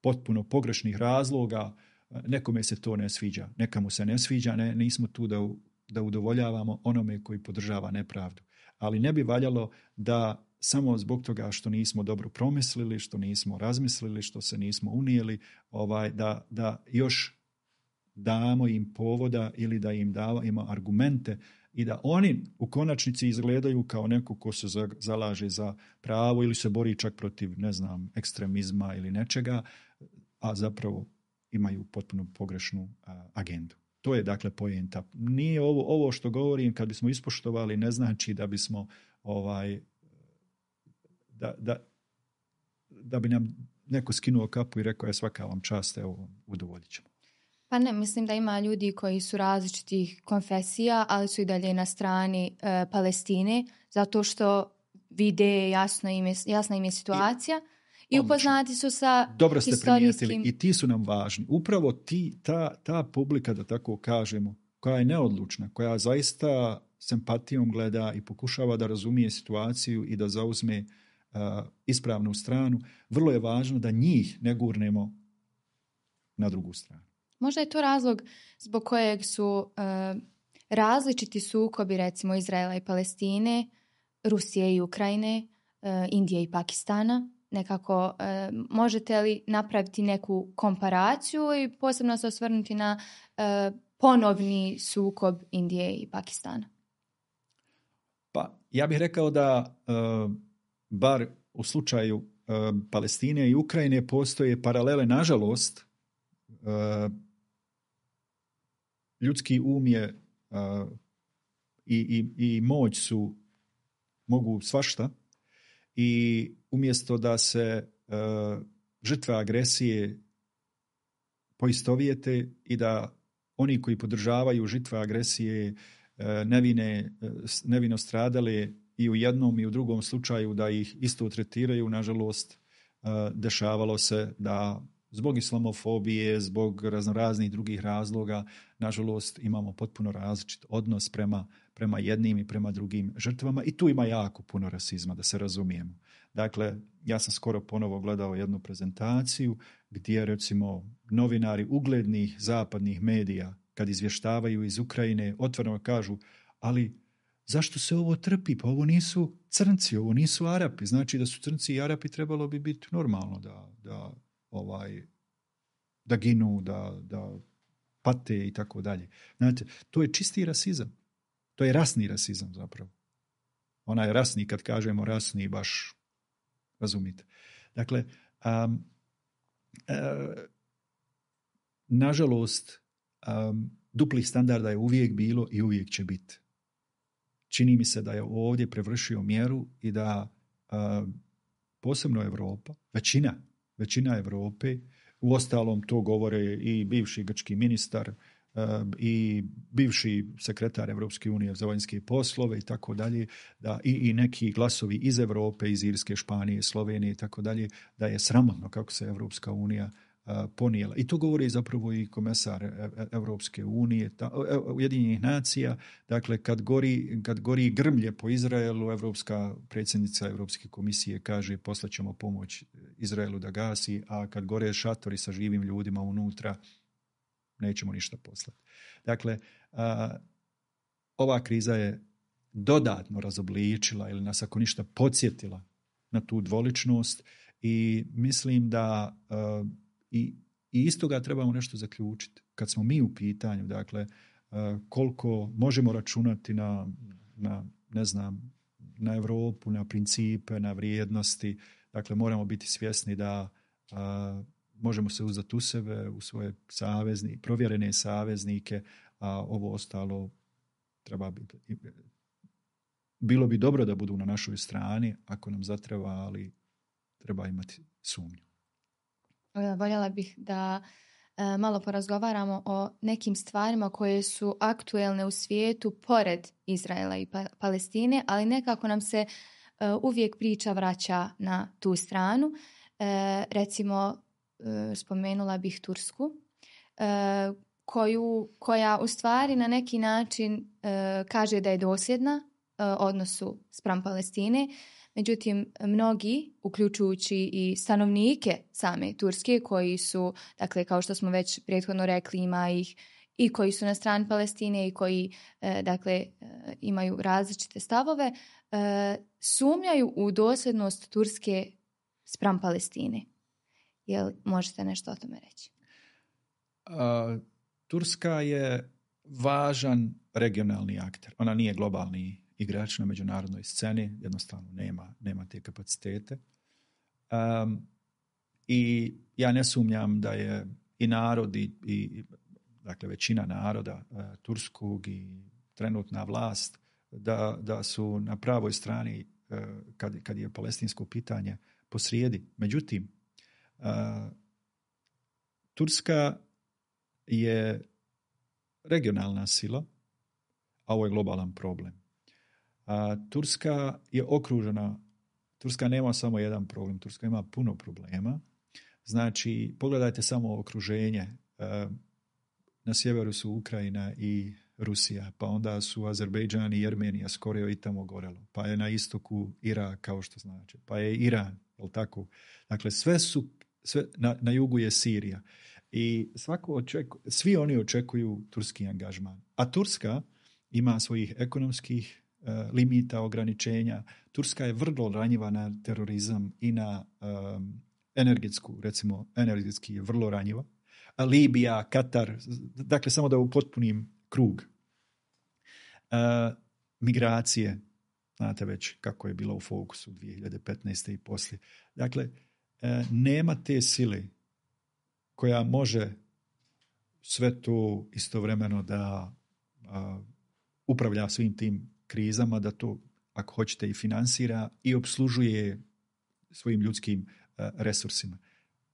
potpuno pogrešnih razloga, nekome se to ne sviđa, nekamu se ne sviđa, ne, nismo tu da, da udovoljavamo onome koji podržava nepravdu. Ali ne bi valjalo da samo zbog toga što nismo dobro promislili, što nismo razmislili, što se nismo unijeli, ovaj, da, da još damo im povoda ili da im damo argumente i da oni u konačnici izgledaju kao neko ko se zalaže za pravo ili se bori čak protiv, ne znam, ekstremizma ili nečega, a zapravo imaju potpuno pogrešnu a, agendu. To je dakle poenta. Nije ovo, ovo što govorim, kad bismo ispoštovali, ne znači da bismo ovaj da, da, da bi nam neko skinuo kapu i rekao je svaka vam čast, evo udovoljit ćemo. Pa ne, mislim da ima ljudi koji su različitih konfesija, ali su i dalje na strani e, Palestine, zato što vide jasno im je, jasna im je situacija i, i upoznati su sa dobro ste historijskim... primijetili i ti su nam važni. Upravo ti, ta, ta publika, da tako kažemo, koja je neodlučna, koja zaista s empatijom gleda i pokušava da razumije situaciju i da zauzme uh, ispravnu stranu, vrlo je važno da njih ne gurnemo na drugu stranu. Možda je to razlog zbog kojeg su uh, različiti sukobi, recimo Izraela i Palestine, Rusije i Ukrajine, uh, Indije i Pakistana. Nekako, uh, možete li napraviti neku komparaciju i posebno se osvrnuti na uh, ponovni sukob Indije i Pakistana? Pa, ja bih rekao da uh, bar u slučaju uh, Palestine i Ukrajine postoje paralele, nažalost, uh, ljudski um je uh, i, i, i moć su mogu svašta i umjesto da se uh, žrtve agresije poistovijete i da oni koji podržavaju žrtve agresije uh, nevine, uh, nevino stradale i u jednom i u drugom slučaju da ih isto tretiraju, nažalost uh, dešavalo se da zbog islamofobije, zbog raznoraznih drugih razloga, nažalost imamo potpuno različit odnos prema, prema jednim i prema drugim žrtvama i tu ima jako puno rasizma, da se razumijemo. Dakle, ja sam skoro ponovo gledao jednu prezentaciju gdje recimo novinari uglednih zapadnih medija kad izvještavaju iz Ukrajine otvoreno kažu, ali zašto se ovo trpi? Pa ovo nisu crnci, ovo nisu Arapi. Znači da su crnci i Arapi trebalo bi biti normalno da, da ovaj da ginu, da, da pate i tako dalje. Znate, to je čisti rasizam. To je rasni rasizam zapravo. Ona je rasni, kad kažemo rasni, baš razumite. Dakle, um, uh, nažalost, um, duplih standarda je uvijek bilo i uvijek će biti. Čini mi se da je ovdje prevršio mjeru i da uh, posebno Europa, većina Većina Europe, uostalom to govore i bivši grčki ministar uh, i bivši sekretar Europske unije za vanjske poslove i tako dalje, da i, i neki glasovi iz Europe, iz Irske, Španije, Slovenije i tako dalje, da je sramotno kako se Europska unija uh, ponijela. I to govori zapravo i komesar Europske unije, ta, Ujedinjenih nacija. Dakle, kad gori, kad gori grmlje po Izraelu, Europska predsjednica Europske komisije kaže poslaćemo pomoć Izraelu da gasi, a kad gore šatori sa živim ljudima unutra, nećemo ništa poslati. Dakle, a, ova kriza je dodatno razobličila ili nas ako ništa podsjetila na tu dvoličnost i mislim da uh, i, i iz toga trebamo nešto zaključiti. Kad smo mi u pitanju, dakle, uh, koliko možemo računati na, na, ne znam, na Europu, na principe, na vrijednosti, dakle, moramo biti svjesni da uh, možemo se uzdati u sebe, u svoje savezni, provjerene saveznike, a ovo ostalo treba biti. Bilo bi dobro da budu na našoj strani, ako nam zatreba, ali treba imati sumnju. Voljela bih da e, malo porazgovaramo o nekim stvarima koje su aktuelne u svijetu pored Izraela i pa- Palestine, ali nekako nam se e, uvijek priča vraća na tu stranu. E, recimo, e, spomenula bih Tursku, e, koju, koja u stvari na neki način e, kaže da je dosljedna odnosu spram Palestine. Međutim, mnogi, uključujući i stanovnike same Turske, koji su, dakle, kao što smo već prethodno rekli, ima ih i koji su na strani Palestine i koji, dakle, imaju različite stavove, sumnjaju u dosljednost Turske spram Palestine. Jel možete nešto o tome reći? A, Turska je važan regionalni akter. Ona nije globalni igrač na međunarodnoj sceni, jednostavno nema, nema te kapacitete. Um, I ja ne sumnjam da je i narod i, i dakle većina naroda uh, turskog i trenutna vlast da, da su na pravoj strani uh, kad, kad je palestinsko pitanje posrijedi. Međutim, uh, Turska je regionalna sila, a ovo je globalan problem. A Turska je okružena, Turska nema samo jedan problem, Turska ima puno problema. Znači, pogledajte samo okruženje. Na sjeveru su Ukrajina i Rusija, pa onda su Azerbejdžan i Jermenija skoro i tamo gorelo. Pa je na istoku Irak, kao što znači. Pa je Iran, jel tako? Dakle, sve su, sve, na, na jugu je Sirija. I svako očeku, svi oni očekuju turski angažman. A Turska ima svojih ekonomskih limita, ograničenja. Turska je vrlo ranjiva na terorizam i na um, energetsku, recimo energetski je vrlo ranjiva. A Libija, Katar, dakle samo da upotpunim krug. Uh, migracije, znate već kako je bilo u fokusu dvije hiljade petnaeste i poslije. Dakle, uh, nema te sile koja može sve to istovremeno da uh, upravlja svim tim krizama, da to, ako hoćete, i finansira i obslužuje svojim ljudskim uh, resursima.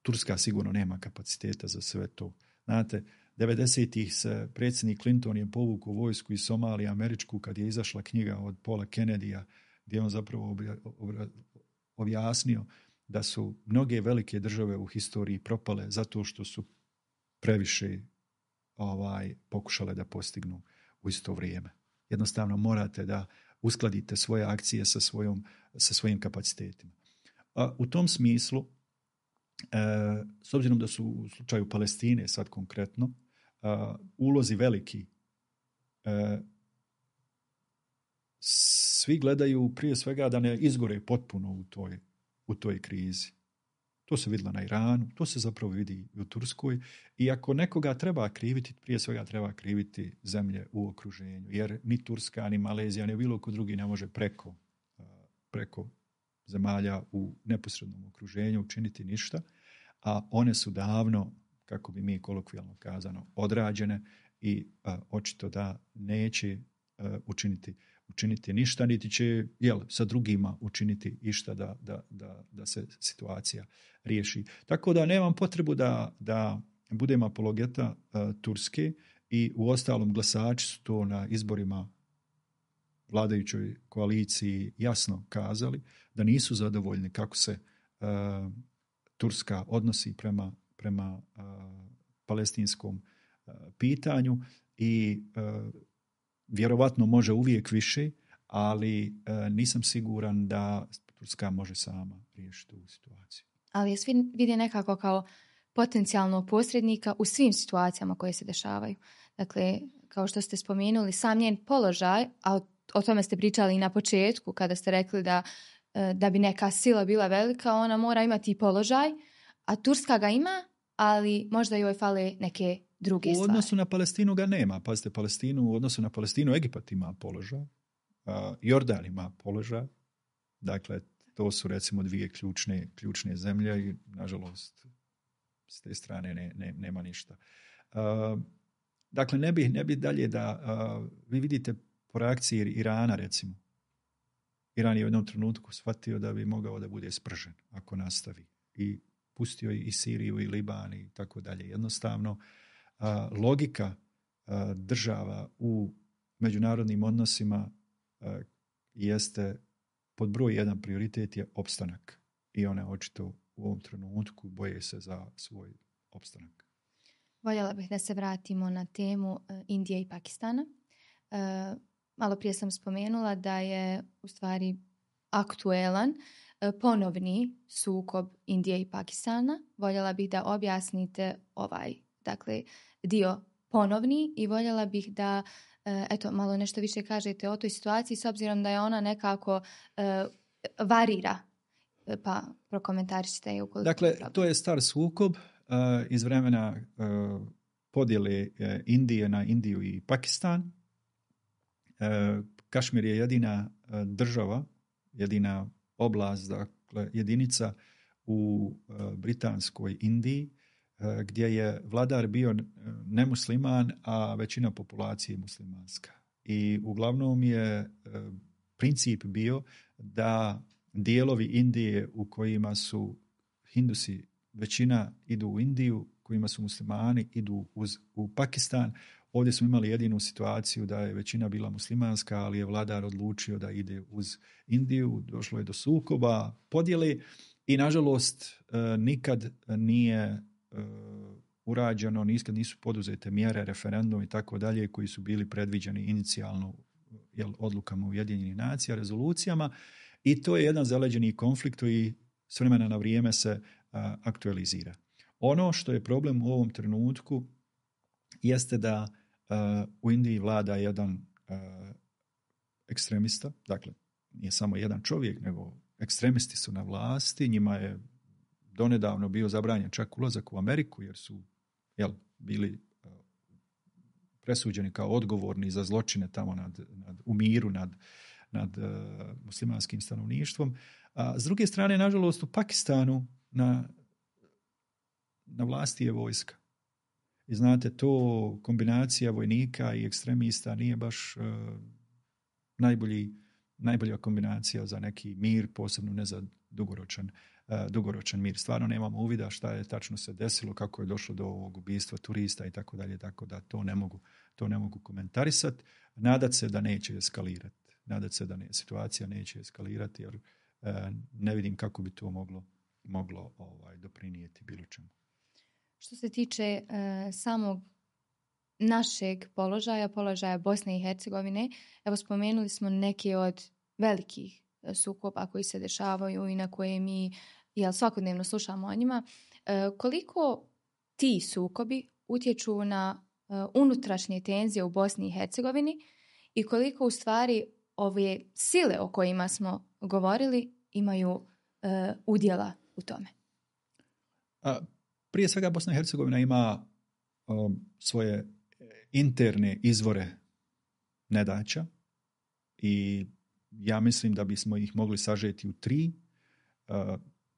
Turska sigurno nema kapaciteta za sve to. Znate, devedesetih se predsjednik Clinton je povukao vojsku iz Somalije američku kad je izašla knjiga od Paula Kennedyja gdje on zapravo objasnio da su mnoge velike države u historiji propale zato što su previše ovaj, pokušale da postignu u isto vrijeme. Jednostavno morate da uskladite svoje akcije sa, svojom, sa svojim kapacitetima. A u tom smislu, e, s obzirom da su u slučaju Palestine sad konkretno, e, ulozi veliki, e, svi gledaju prije svega da ne izgore potpuno u toj, u toj krizi. To se vidjelo na Iranu, to se zapravo vidi u Turskoj i ako nekoga treba kriviti, prije svega treba kriviti zemlje u okruženju, jer ni Turska, ni Malezija, ni bilo ko drugi ne može preko, preko zemalja u neposrednom okruženju učiniti ništa, a one su davno, kako bi mi kolokvijalno kazano, odrađene i a, očito da neće a, učiniti učiniti ništa, niti će jel, sa drugima učiniti išta da, da, da, da se situacija riješi. Tako da nemam potrebu da, da budem apologeta uh, Turske i u ostalom glasači su to na izborima vladajućoj koaliciji jasno kazali da nisu zadovoljni kako se uh, Turska odnosi prema, prema uh, palestinskom uh, pitanju i uh, vjerovatno može uvijek više, ali e, nisam siguran da Turska može sama riješiti ovu situaciju. Ali je svi vidi nekako kao potencijalno posrednika u svim situacijama koje se dešavaju. Dakle, kao što ste spomenuli, sam njen položaj, a o, o tome ste pričali i na početku kada ste rekli da, da bi neka sila bila velika, ona mora imati i položaj, a Turska ga ima, ali možda joj fale neke druge stvari. U odnosu stvari. Na Palestinu ga nema. Pazite, Palestinu, u odnosu na Palestinu Egipat ima položaj, uh, Jordan ima položaj, dakle to su recimo dvije ključne, ključne zemlje i nažalost s te strane ne, ne, nema ništa. Uh, dakle, ne bi, ne bi dalje da uh, vi vidite po reakciji Irana recimo. Iran je u jednom trenutku shvatio da bi mogao da bude spržen ako nastavi. I pustio i Siriju i Liban i tako dalje. Jednostavno, uh, logika uh, država u međunarodnim odnosima uh, jeste pod broj jedan prioritet je opstanak. I one očito u ovom trenutku boje se za svoj opstanak. Voljela bih da se vratimo na temu Indije i Pakistana. E, malo prije sam spomenula da je u stvari aktuelan e, ponovni sukob Indije i Pakistana. Voljela bih da objasnite ovaj, dakle, dio ponovni i voljela bih da e, eto, malo nešto više kažete o toj situaciji s obzirom da je ona nekako e, varira. Pa prokomentarišite je ukoliko. Dakle, to je star sukob uh, iz vremena uh, podjele uh, Indije na Indiju i Pakistan. Uh, Kašmir je jedina uh, država, jedina oblast, dakle jedinica u uh, britanskoj Indiji uh, gdje je vladar bio nemusliman, a većina populacije muslimanska. I uglavnom je uh, princip bio da dijelovi Indije u kojima su Hindusi, većina idu u Indiju, kojima su muslimani, idu uz, u Pakistan. Ovdje smo imali jedinu situaciju da je većina bila muslimanska, ali je vladar odlučio da ide uz Indiju. Došlo je do sukoba, podjele i nažalost nikad nije urađeno, nikad nisu poduzete mjere, referendum i tako dalje koji su bili predviđeni inicijalno jel, odlukama Ujedinjenih nacija, rezolucijama. I to je jedan zaleđeni konflikt koji s vremena na vrijeme se a, aktualizira. Ono što je problem u ovom trenutku jeste da a, u Indiji vlada jedan a, ekstremista, dakle nije samo jedan čovjek, nego ekstremisti su na vlasti, njima je donedavno bio zabranjen čak ulazak u Ameriku jer su jel, bili a, presuđeni kao odgovorni za zločine tamo nad, nad, u miru nad nad uh, muslimanskim stanovništvom. A s druge strane, nažalost, u Pakistanu na, na vlasti je vojska. I znate, to kombinacija vojnika i ekstremista nije baš uh, najbolji, najbolja kombinacija za neki mir, posebno ne za dugoročan, uh, dugoročan mir. Stvarno nemamo uvida šta je tačno se desilo, kako je došlo do ovog ubistva turista i tako dalje, tako da to ne mogu, to ne mogu komentarisati. Nadat se da neće eskalirati. Nadati se da ne, situacija neće eskalirati jer e, ne vidim kako bi to moglo, moglo ovaj, doprinijeti bilo čemu. Što se tiče e, samog našeg položaja, položaja Bosne i Hercegovine, evo spomenuli smo neke od velikih sukoba koji se dešavaju i na koje mi jel, svakodnevno slušamo o njima. E, koliko ti sukobi utječu na e, unutrašnje tenzije u Bosni i Hercegovini i koliko u stvari ove sile o kojima smo govorili imaju uh, udjela u tome? A, prije svega Bosna i Hercegovina ima um, svoje interne izvore nedaća i ja mislim da bismo ih mogli sažeti u tri: uh,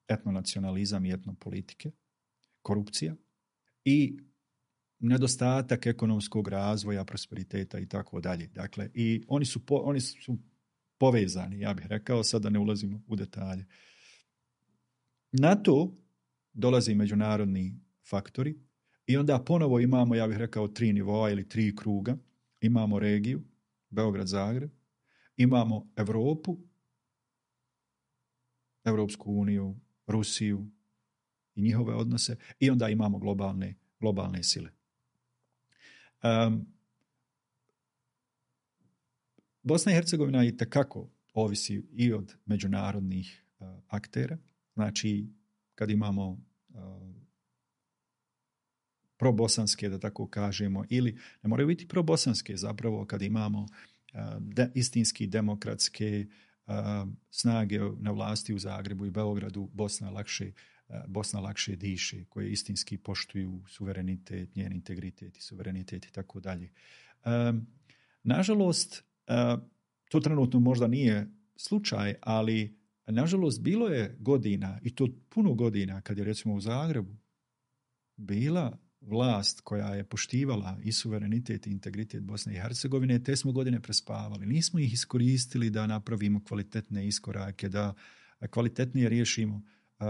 etnonacionalizam i etnopolitike, korupcija i nedostatak ekonomskog razvoja, prosperiteta i tako dalje. Dakle, i oni su, po, oni su povezani, ja bih rekao, sad da ne ulazimo u detalje. Na to dolaze međunarodni faktori i onda ponovo imamo, ja bih rekao, tri nivoa ili tri kruga. Imamo regiju, Beograd, Zagreb, imamo Europu, Europsku uniju, Rusiju i njihove odnose i onda imamo globalne, globalne sile. Um, Bosna i Hercegovina i tekako ovisi i od međunarodnih uh, aktera. Znači, kad imamo uh, probosanske, da tako kažemo, ili ne moraju biti probosanske zapravo kad imamo uh, de, istinski demokratske uh, snage na vlasti u Zagrebu i Beogradu, Bosna lakše, uh, Bosna lakše diše, koje istinski poštuju suverenitet, njen integritet i suverenitet i tako dalje. Um, nažalost, uh, to trenutno možda nije slučaj, ali nažalost bilo je godina, i to puno godina, kad je recimo u Zagrebu bila vlast koja je poštivala i suverenitet i integritet Bosne i Hercegovine, te smo godine prespavali. Nismo ih iskoristili da napravimo kvalitetne iskorake, da kvalitetnije riješimo uh,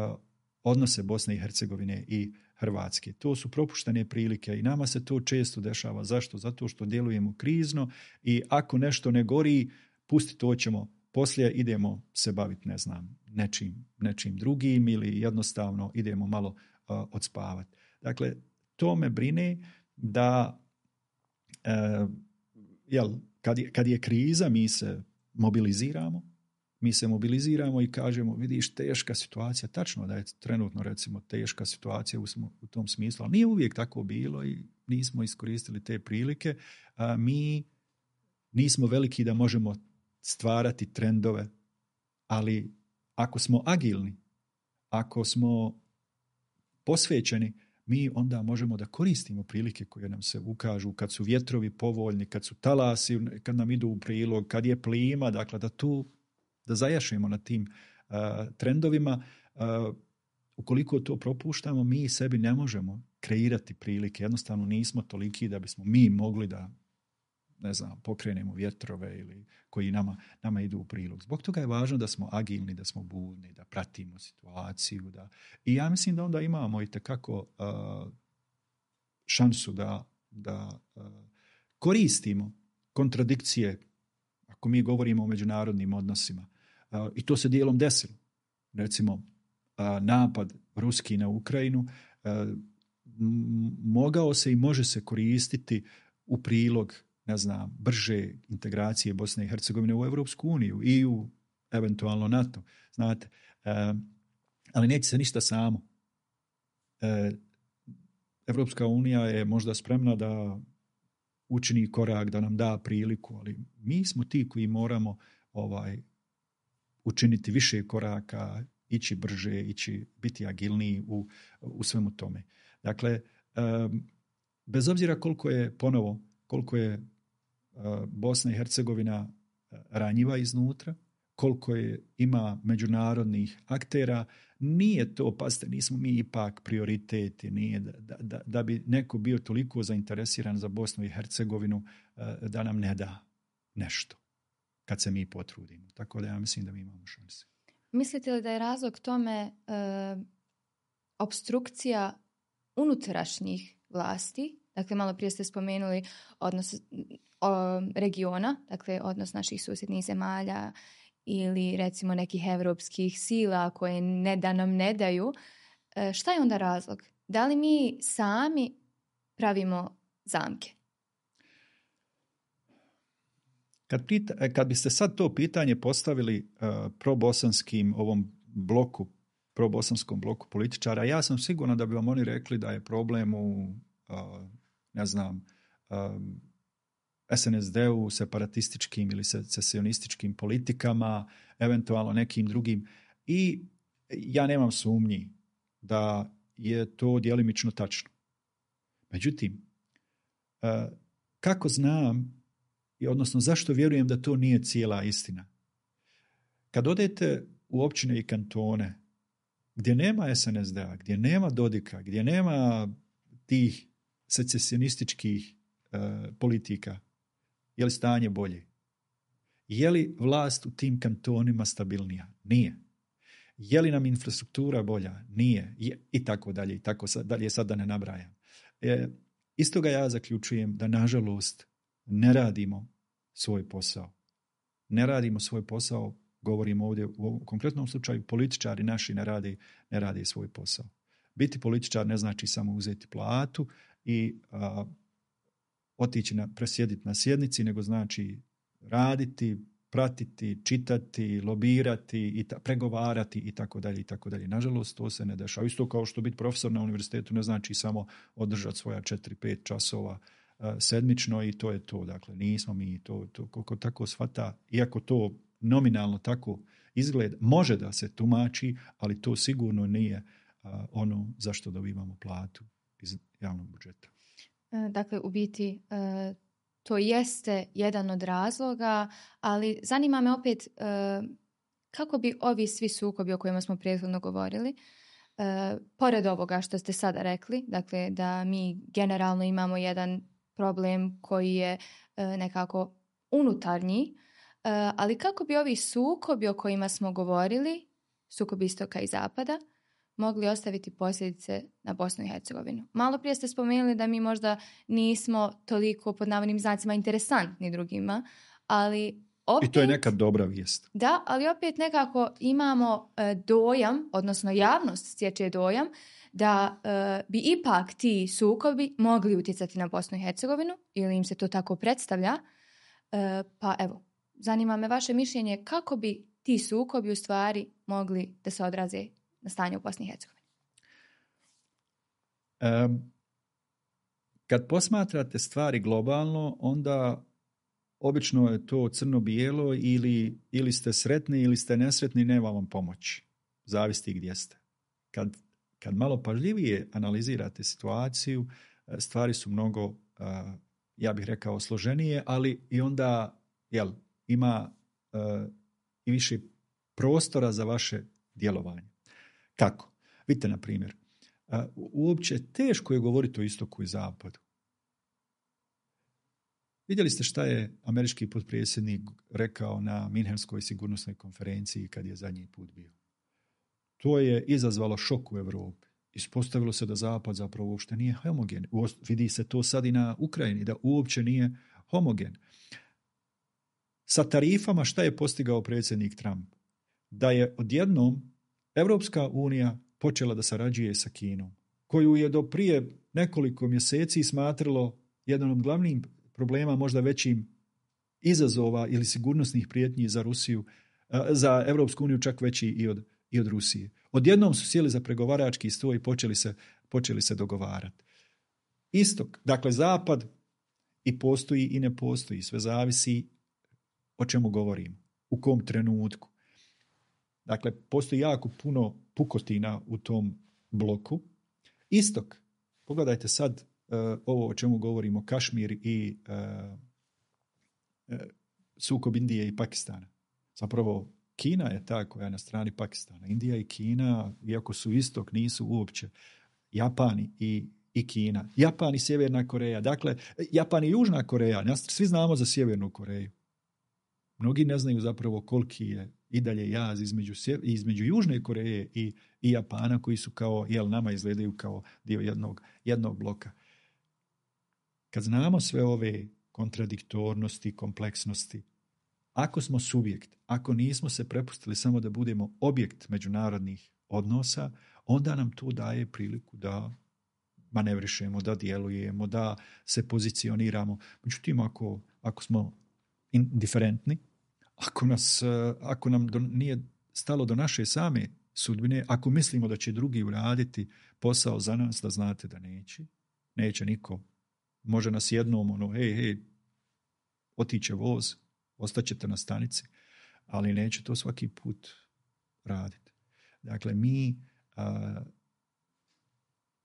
odnose Bosne i Hercegovine i Hrvatske. To su propuštene prilike i nama se to često dešava. Zašto? Zato što djelujemo krizno i ako nešto ne gori, pusti to ćemo, poslije idemo se baviti, ne znam, nečim, nečim drugim ili jednostavno idemo malo uh, odspavati. Dakle, to me brine da uh, jel, kad, je, kad je kriza mi se mobiliziramo, mi se mobiliziramo i kažemo, vidiš, teška situacija, tačno da je trenutno recimo teška situacija u, u tom smislu, ali nije uvijek tako bilo i nismo iskoristili te prilike. A mi nismo veliki da možemo stvarati trendove, ali ako smo agilni, ako smo posvećeni, mi onda možemo da koristimo prilike koje nam se ukažu kad su vjetrovi povoljni, kad su talasi, kad nam idu u prilog, kad je plima, dakle da tu da zajašemo na tim uh, trendovima. Uh, ukoliko to propuštamo, mi sebi ne možemo kreirati prilike. Jednostavno nismo toliki da bismo mi mogli da, ne znam, pokrenemo vjetrove ili koji nama, nama idu u prilog. Zbog toga je važno da smo agilni, da smo budni, da pratimo situaciju. Da... I ja mislim da onda imamo i tekako uh, šansu da, da uh, koristimo kontradikcije ako mi govorimo o međunarodnim odnosima. Uh, I to se dijelom desilo. Recimo, uh, napad ruski na Ukrajinu uh, m- mogao se i može se koristiti u prilog, ne znam, brže integracije Bosne i Hercegovine u Europsku uniju i u eventualno NATO. Znate, uh, ali neće se ništa samo. Uh, Europska unija je možda spremna da učini korak, da nam da priliku, ali mi smo ti koji moramo ovaj učiniti više koraka, ići brže, ići, biti agilniji u, u svemu tome. Dakle, um, bez obzira koliko je ponovo, koliko je uh, Bosna i Hercegovina ranjiva iznutra, koliko je ima međunarodnih aktera, nije to, pazite, nismo mi ipak prioriteti, nije da, da, da bi neko bio toliko zainteresiran za Bosnu i Hercegovinu uh, da nam ne da nešto kad se mi potrudimo. Tako da ja mislim da mi imamo šanse. Mislite li da je razlog tome e, obstrukcija unutrašnjih vlasti? Dakle, malo prije ste spomenuli odnos o, regiona, dakle odnos naših susjednih zemalja ili recimo nekih evropskih sila koje ne da nam ne daju. E, šta je onda razlog? Da li mi sami pravimo zamke? Kad, pita, kad biste sad to pitanje postavili uh, probosanskim ovom bloku, probosanskom bloku političara, ja sam siguran da bi vam oni rekli da je problem u, uh, ne znam, um, es en es de-u, separatističkim ili secesionističkim politikama, eventualno nekim drugim. I ja nemam sumnji da je to djelimično tačno. Međutim, uh, kako znam, i odnosno zašto vjerujem da to nije cijela istina? Kad odete u općine i kantone gdje nema es en es de-a, gdje nema Dodika, gdje nema tih secesionističkih uh, politika, je li stanje bolje? Je li vlast u tim kantonima stabilnija? Nije. Je li nam infrastruktura bolja? Nije. Je, i tako dalje, i tako dalje, sad da ne nabrajam. E, iz toga ja zaključujem da, nažalost, ne radimo svoj posao. Ne radimo svoj posao, govorimo ovdje u ovom konkretnom slučaju, političari naši ne rade, ne rade svoj posao. Biti političar ne znači samo uzeti platu i a, otići na, presjediti na sjednici, nego znači raditi, pratiti, čitati, lobirati, i ta, pregovarati i tako dalje i tako dalje. Nažalost, to se ne dešava. Isto kao što biti profesor na univerzitetu ne znači samo održati svoja četiri pet časova uh, sedmično i to je to. Dakle, nismo mi to, to koliko tako shvata, iako to nominalno tako izgleda, može da se tumači, ali to sigurno nije uh, ono zašto dobivamo platu iz javnog budžeta. Dakle, u biti uh, to jeste jedan od razloga, ali zanima me opet uh, kako bi ovi svi sukobi o kojima smo prethodno govorili, uh, pored ovoga što ste sada rekli, dakle da mi generalno imamo jedan problem koji je uh, nekako unutarnji, uh, ali kako bi ovi sukobi o kojima smo govorili, sukob istoka i zapada, mogli ostaviti posljedice na Bosnu i Hercegovinu. Malo prije ste spomenuli da mi možda nismo toliko pod navodnim znacima interesantni drugima, ali opet... I to je nekad dobra vijest. Da, ali opet nekako imamo e, dojam, odnosno javnost stječe dojam, da e, bi ipak ti sukobi mogli utjecati na Bosnu i Hercegovinu, ili im se to tako predstavlja. E, pa evo, zanima me vaše mišljenje kako bi ti sukobi u stvari mogli da se odraze na stanje u Bosni i Hercegovini. Um, kad posmatrate stvari globalno, onda obično je to crno-bijelo ili, ili ste sretni ili ste nesretni, nema vam pomoći. Zavisi gdje ste. Kad, kad malo pažljivije analizirate situaciju, stvari su mnogo, uh, ja bih rekao, složenije, ali i onda jel, ima uh, i više prostora za vaše djelovanje. Kako? Vidite, na primjer, uh, uopće teško je govoriti o istoku i zapadu. Vidjeli ste šta je američki potpredsjednik rekao na Minhenskoj sigurnosnoj konferenciji kad je zadnji put bio. To je izazvalo šok u Europi. Ispostavilo se da zapad zapravo uopšte nije homogen. Vidi se to sad i na Ukrajini, da uopće nije homogen. Sa tarifama šta je postigao predsjednik Trump? Da je odjednom Evropska unija počela da sarađuje sa Kinom, koju je do prije nekoliko mjeseci smatralo jedan od glavnih problema, možda većim izazova ili sigurnosnih prijetnji za Rusiju, za Evropsku uniju čak veći i od, i od Rusije. Odjednom su sjeli za pregovarački stol i počeli se, počeli se dogovarati. Istok, dakle zapad i postoji i ne postoji, sve zavisi o čemu govorimo, u kom trenutku. Dakle, postoji jako puno pukotina u tom bloku. Istok, pogledajte sad uh, ovo o čemu govorimo, Kašmir i uh, uh, sukob Indije i Pakistana. Zapravo, Kina je ta koja je na strani Pakistana. Indija i Kina, iako su istok, nisu uopće. Japani i, i Kina. Japan i Sjeverna Koreja. Dakle, Japan i Južna Koreja. Svi znamo za Sjevernu Koreju. Mnogi ne znaju zapravo koliki je i dalje jaz između, između Južne Koreje i, i Japana, koji su kao, jel, nama izgledaju kao dio jednog, jednog bloka. Kad znamo sve ove kontradiktornosti, kompleksnosti, ako smo subjekt, ako nismo se prepustili samo da budemo objekt međunarodnih odnosa, onda nam to daje priliku da manevrišemo, da djelujemo, da se pozicioniramo. Međutim, ako, ako smo indiferentni, ako, nas, ako nam do, nije stalo do naše same sudbine, ako mislimo da će drugi uraditi posao za nas, da znate da neće, neće niko. Može nas jednom, ono, hej, hej, otiće voz, ostaćete na stanici, ali neće to svaki put raditi. Dakle, mi, a,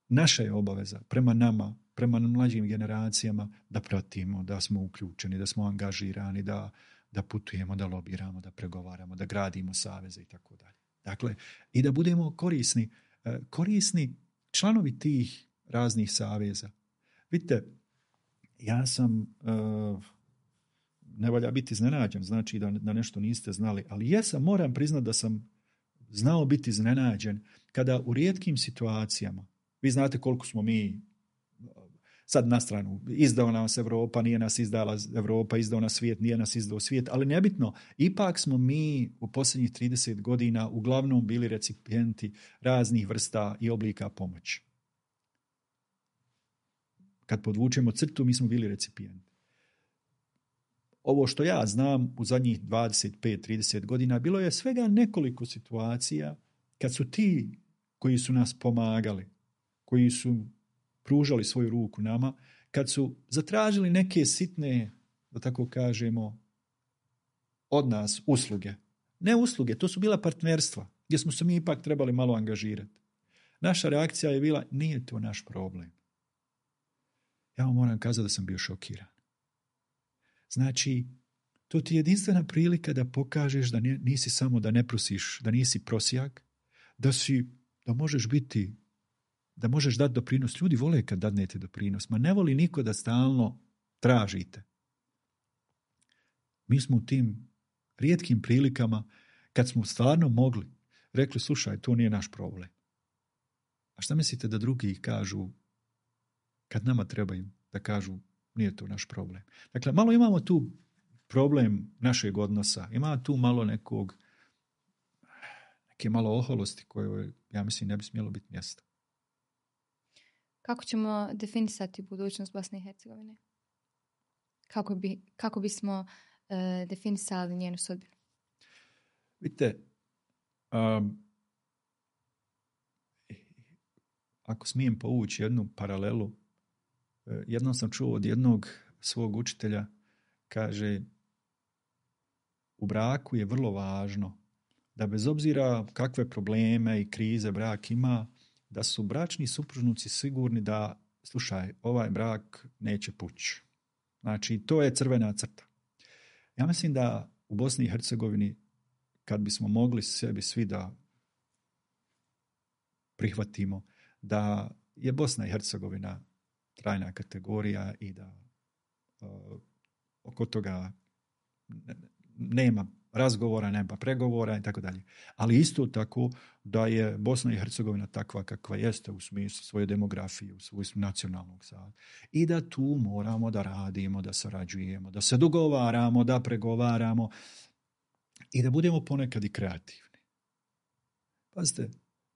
naša je obaveza prema nama, prema mlađim generacijama, da pratimo, da smo uključeni, da smo angažirani, da, da putujemo, da lobiramo, da pregovaramo, da gradimo saveze i tako dalje. Dakle, i da budemo korisni, korisni članovi tih raznih saveza. Vidite, ja sam, ne valja biti iznenađen, znači da, da nešto niste znali, ali jesam, moram priznati da sam znao biti iznenađen kada u rijetkim situacijama, vi znate koliko smo mi sad na stranu, izdao nas Evropa, nije nas izdala Evropa, izdao nas svijet, nije nas izdao svijet, ali nebitno, ipak smo mi u posljednjih trideset godina uglavnom bili recipijenti raznih vrsta i oblika pomoći. Kad podvučemo crtu, mi smo bili recipijenti. ovo što ja znam u zadnjih dvadeset pet trideset godina, bilo je svega nekoliko situacija kad su ti koji su nas pomagali, koji su pružali svoju ruku nama, kad su zatražili neke sitne, da tako kažemo, od nas usluge. Ne usluge, to su bila partnerstva, gdje smo se mi ipak trebali malo angažirati. Naša reakcija je bila, nije to naš problem. Ja vam moram kazati da sam bio šokiran. Znači, to ti je jedinstvena prilika da pokažeš da nisi samo da ne prosiš, da nisi prosjak, da si, da možeš biti, da možeš dati doprinos. Ljudi vole kad dadnete doprinos, ma ne voli niko da stalno tražite. Mi smo u tim rijetkim prilikama, kad smo stvarno mogli, rekli, slušaj, to nije naš problem. A šta mislite da drugi kažu, kad nama trebaju, da kažu, nije to naš problem. Dakle, malo imamo tu problem našeg odnosa, ima tu malo nekog, neke malo oholosti koje, ja mislim, ne bi smjelo biti mjesta. Kako ćemo definisati budućnost Bosne i Hercegovine? Kako, bi, kako bismo uh, definisali njenu sudbinu? Vidite, um, ako smijem povući jednu paralelu, jednom sam čuo od jednog svog učitelja, kaže, u braku je vrlo važno da bez obzira kakve probleme i krize brak ima, da su bračni supružnici sigurni da, slušaj, ovaj brak neće pući. Znači, to je crvena crta. Ja mislim da u Bosni i Hercegovini, kad bismo mogli sebi svi da prihvatimo da je Bosna i Hercegovina trajna kategorija i da uh, oko toga nema razgovora, nema pregovora i tako dalje. Ali isto tako da je Bosna i Hercegovina takva kakva jeste u smislu svoje demografije, u smislu nacionalnog sada. I da tu moramo da radimo, da sarađujemo, da se dogovaramo, da pregovaramo i da budemo ponekad i kreativni. Pazite,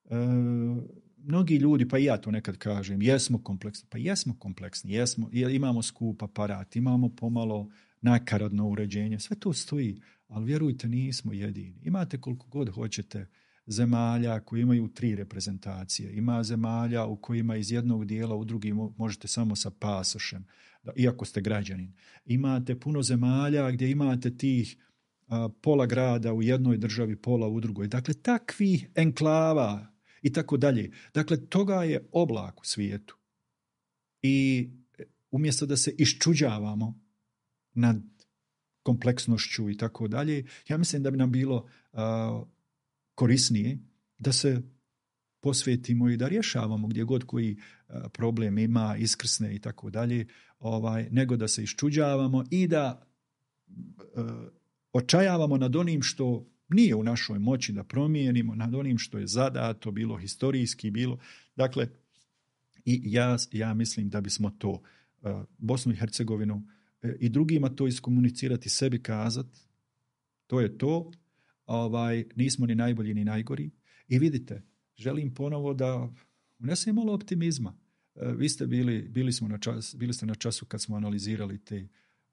uh, mnogi ljudi, pa i ja to nekad kažem, jesmo kompleksni, pa jesmo kompleksni, jesmo, imamo skup aparat, imamo pomalo nakaradno uređenje, sve to stoji, ali vjerujte, nismo jedini. Imate koliko god hoćete zemalja koji imaju tri reprezentacije, ima zemalja u kojima iz jednog dijela u drugi možete samo sa pasošem, iako ste građanin. Imate puno zemalja gdje imate tih a, pola grada u jednoj državi, pola u drugoj. Dakle, takvih enklava i tako dalje. Dakle, toga je oblak u svijetu. I umjesto da se iščuđavamo nad kompleksnošću i tako dalje, ja mislim da bi nam bilo uh, korisnije da se posvetimo i da rješavamo gdje god koji uh, problem ima, iskrsne i tako dalje, ovaj, nego da se iščuđavamo i da uh, očajavamo nad onim što nije u našoj moći da promijenimo, nad onim što je zadato, bilo historijski, bilo. Dakle, i ja, ja mislim da bismo to uh, Bosnu i Hercegovinu uh, i drugima to iskomunicirati, sebi kazati, to je to, ovaj, nismo ni najbolji ni najgori. I vidite, želim ponovo da unesem malo optimizma. Uh, vi ste bili, bili, smo na čas, bili ste na času kad smo analizirali te.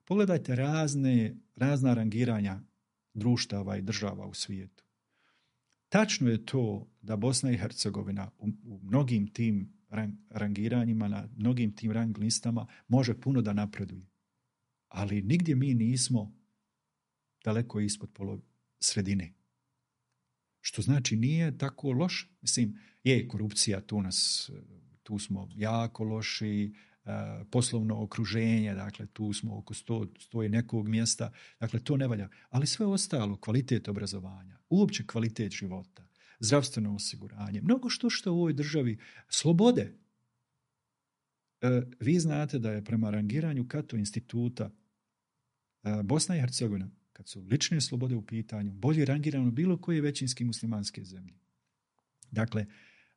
Pogledajte razne, razna rangiranja društava i država u svijetu. Tačno je to da Bosna i Hercegovina u, u mnogim tim rang, rangiranjima, na mnogim tim rang listama može puno da napreduje. Ali nigdje mi nismo daleko ispod polo sredine. Što znači nije tako loše. Mislim, je korupcija, tu nas, tu smo jako loši, poslovno okruženje, dakle tu smo oko sto, sto i nekog mjesta, dakle to ne valja. Ali sve ostalo, kvalitet obrazovanja, uopće kvalitet života, zdravstveno osiguranje, mnogo što što u ovoj državi, slobode. E, vi znate da je prema rangiranju Cato instituta e, Bosna i Hercegovina, kad su lične slobode u pitanju, bolje rangirano bilo koje većinski muslimanske zemlje. Dakle,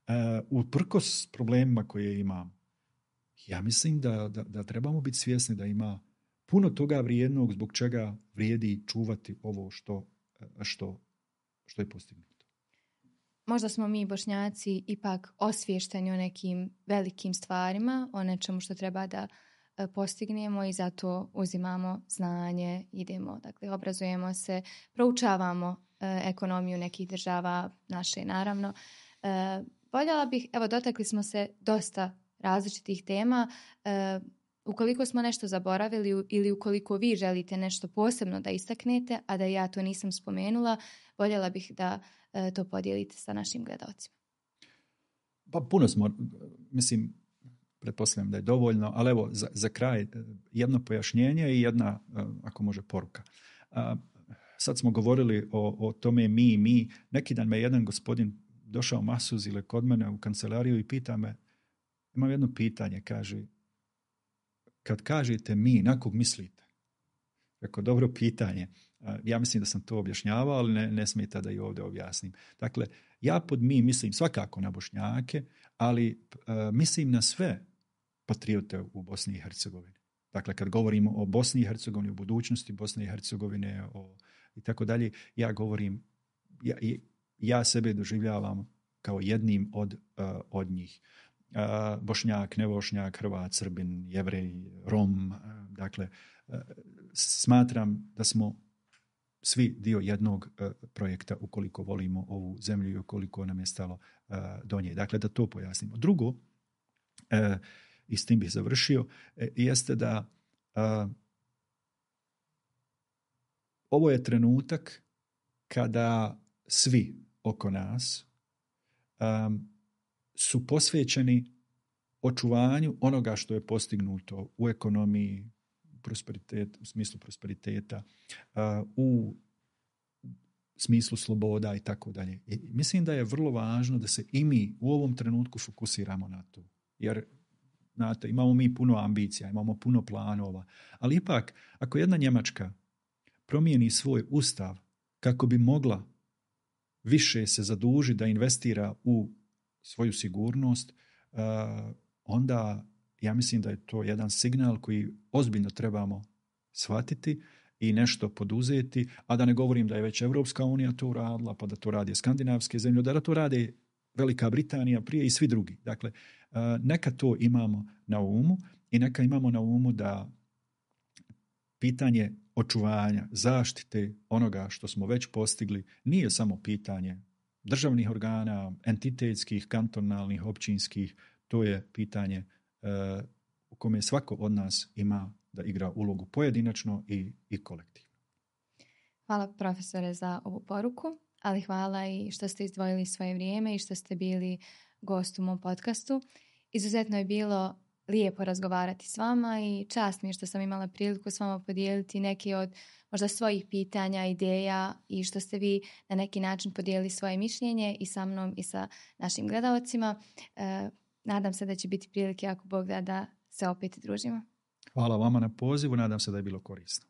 e, uprkos problemima koje imamo, ja mislim da, da, da trebamo biti svjesni da ima puno toga vrijednog zbog čega vrijedi čuvati ovo što, što, što je postignuto. Možda smo mi Bošnjaci ipak osviješteni o nekim velikim stvarima, o nečemu što treba da postignemo i zato uzimamo znanje, idemo, dakle, obrazujemo se, proučavamo ekonomiju nekih država, naše naravno. Voljela bih, evo, dotakli smo se dosta različitih tema. Ukoliko smo nešto zaboravili ili ukoliko vi želite nešto posebno da istaknete, a da ja to nisam spomenula, voljela bih da to podijelite sa našim gledalcima. Pa puno smo, mislim, pretpostavljam da je dovoljno, ali evo za, za kraj jedno pojašnjenje i jedna, ako može, poruka. Sad smo govorili o, o tome mi, mi. Neki dan me jedan gospodin došao masuz ili kod mene u kancelariju i pita me, imam jedno pitanje, kaže, kad kažete mi, na kog mislite? Rekao, dobro pitanje. Ja mislim da sam to objašnjavao, ali ne, ne smeta da i ovdje objasnim. Dakle, ja pod mi mislim svakako na Bošnjake, ali uh, mislim na sve patriote u Bosni i Hercegovini. Dakle, kad govorimo o Bosni i Hercegovini, o budućnosti Bosne i Hercegovine o, i tako dalje, ja govorim, ja, ja sebe doživljavam kao jednim od, uh, od njih. Uh, Bošnjak, nevošnjak, Hrvat, Srbin, Jevrej, Rom, uh, dakle, uh, smatram da smo svi dio jednog uh, projekta ukoliko volimo ovu zemlju i ukoliko nam je stalo uh, do nje. Dakle, da to pojasnimo. Drugo, uh, i s tim bih završio, uh, jeste da uh, ovo je trenutak kada svi oko nas um, su posvećeni očuvanju onoga što je postignuto u ekonomiji, prosperitet, u smislu prosperiteta, uh, u smislu sloboda i tako dalje. I mislim da je vrlo važno da se i mi u ovom trenutku fokusiramo na to. Jer, znate, imamo mi puno ambicija, imamo puno planova, ali ipak, ako jedna Njemačka promijeni svoj ustav kako bi mogla više se zadužiti da investira u svoju sigurnost, uh, onda ja mislim da je to jedan signal koji ozbiljno trebamo shvatiti i nešto poduzeti, a da ne govorim da je već Evropska unija to uradila, pa da to radi skandinavske zemlje, da to radi Velika Britanija prije i svi drugi. Dakle, uh, neka to imamo na umu i neka imamo na umu da pitanje očuvanja, zaštite onoga što smo već postigli nije samo pitanje državnih organa, entitetskih, kantonalnih, općinskih, to je pitanje uh, u kome svako od nas ima da igra ulogu pojedinačno i, i kolektivno. Hvala profesore za ovu poruku, ali hvala i što ste izdvojili svoje vrijeme i što ste bili gost u mom podcastu. Izuzetno je bilo lijepo razgovarati s vama i čast mi je što sam imala priliku s vama podijeliti neke od možda svojih pitanja, ideja i što ste vi na neki način podijelili svoje mišljenje i sa mnom i sa našim gledalcima. E, nadam se da će biti prilike, ako Bog da, da se opet družimo. Hvala vama na pozivu, nadam se da je bilo korisno.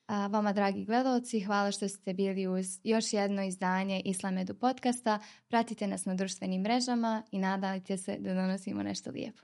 A vama, dragi gledalci, hvala što ste bili uz još jedno izdanje Islam Edu podcasta. Pratite nas na društvenim mrežama i nadajte se da donosimo nešto lijepo.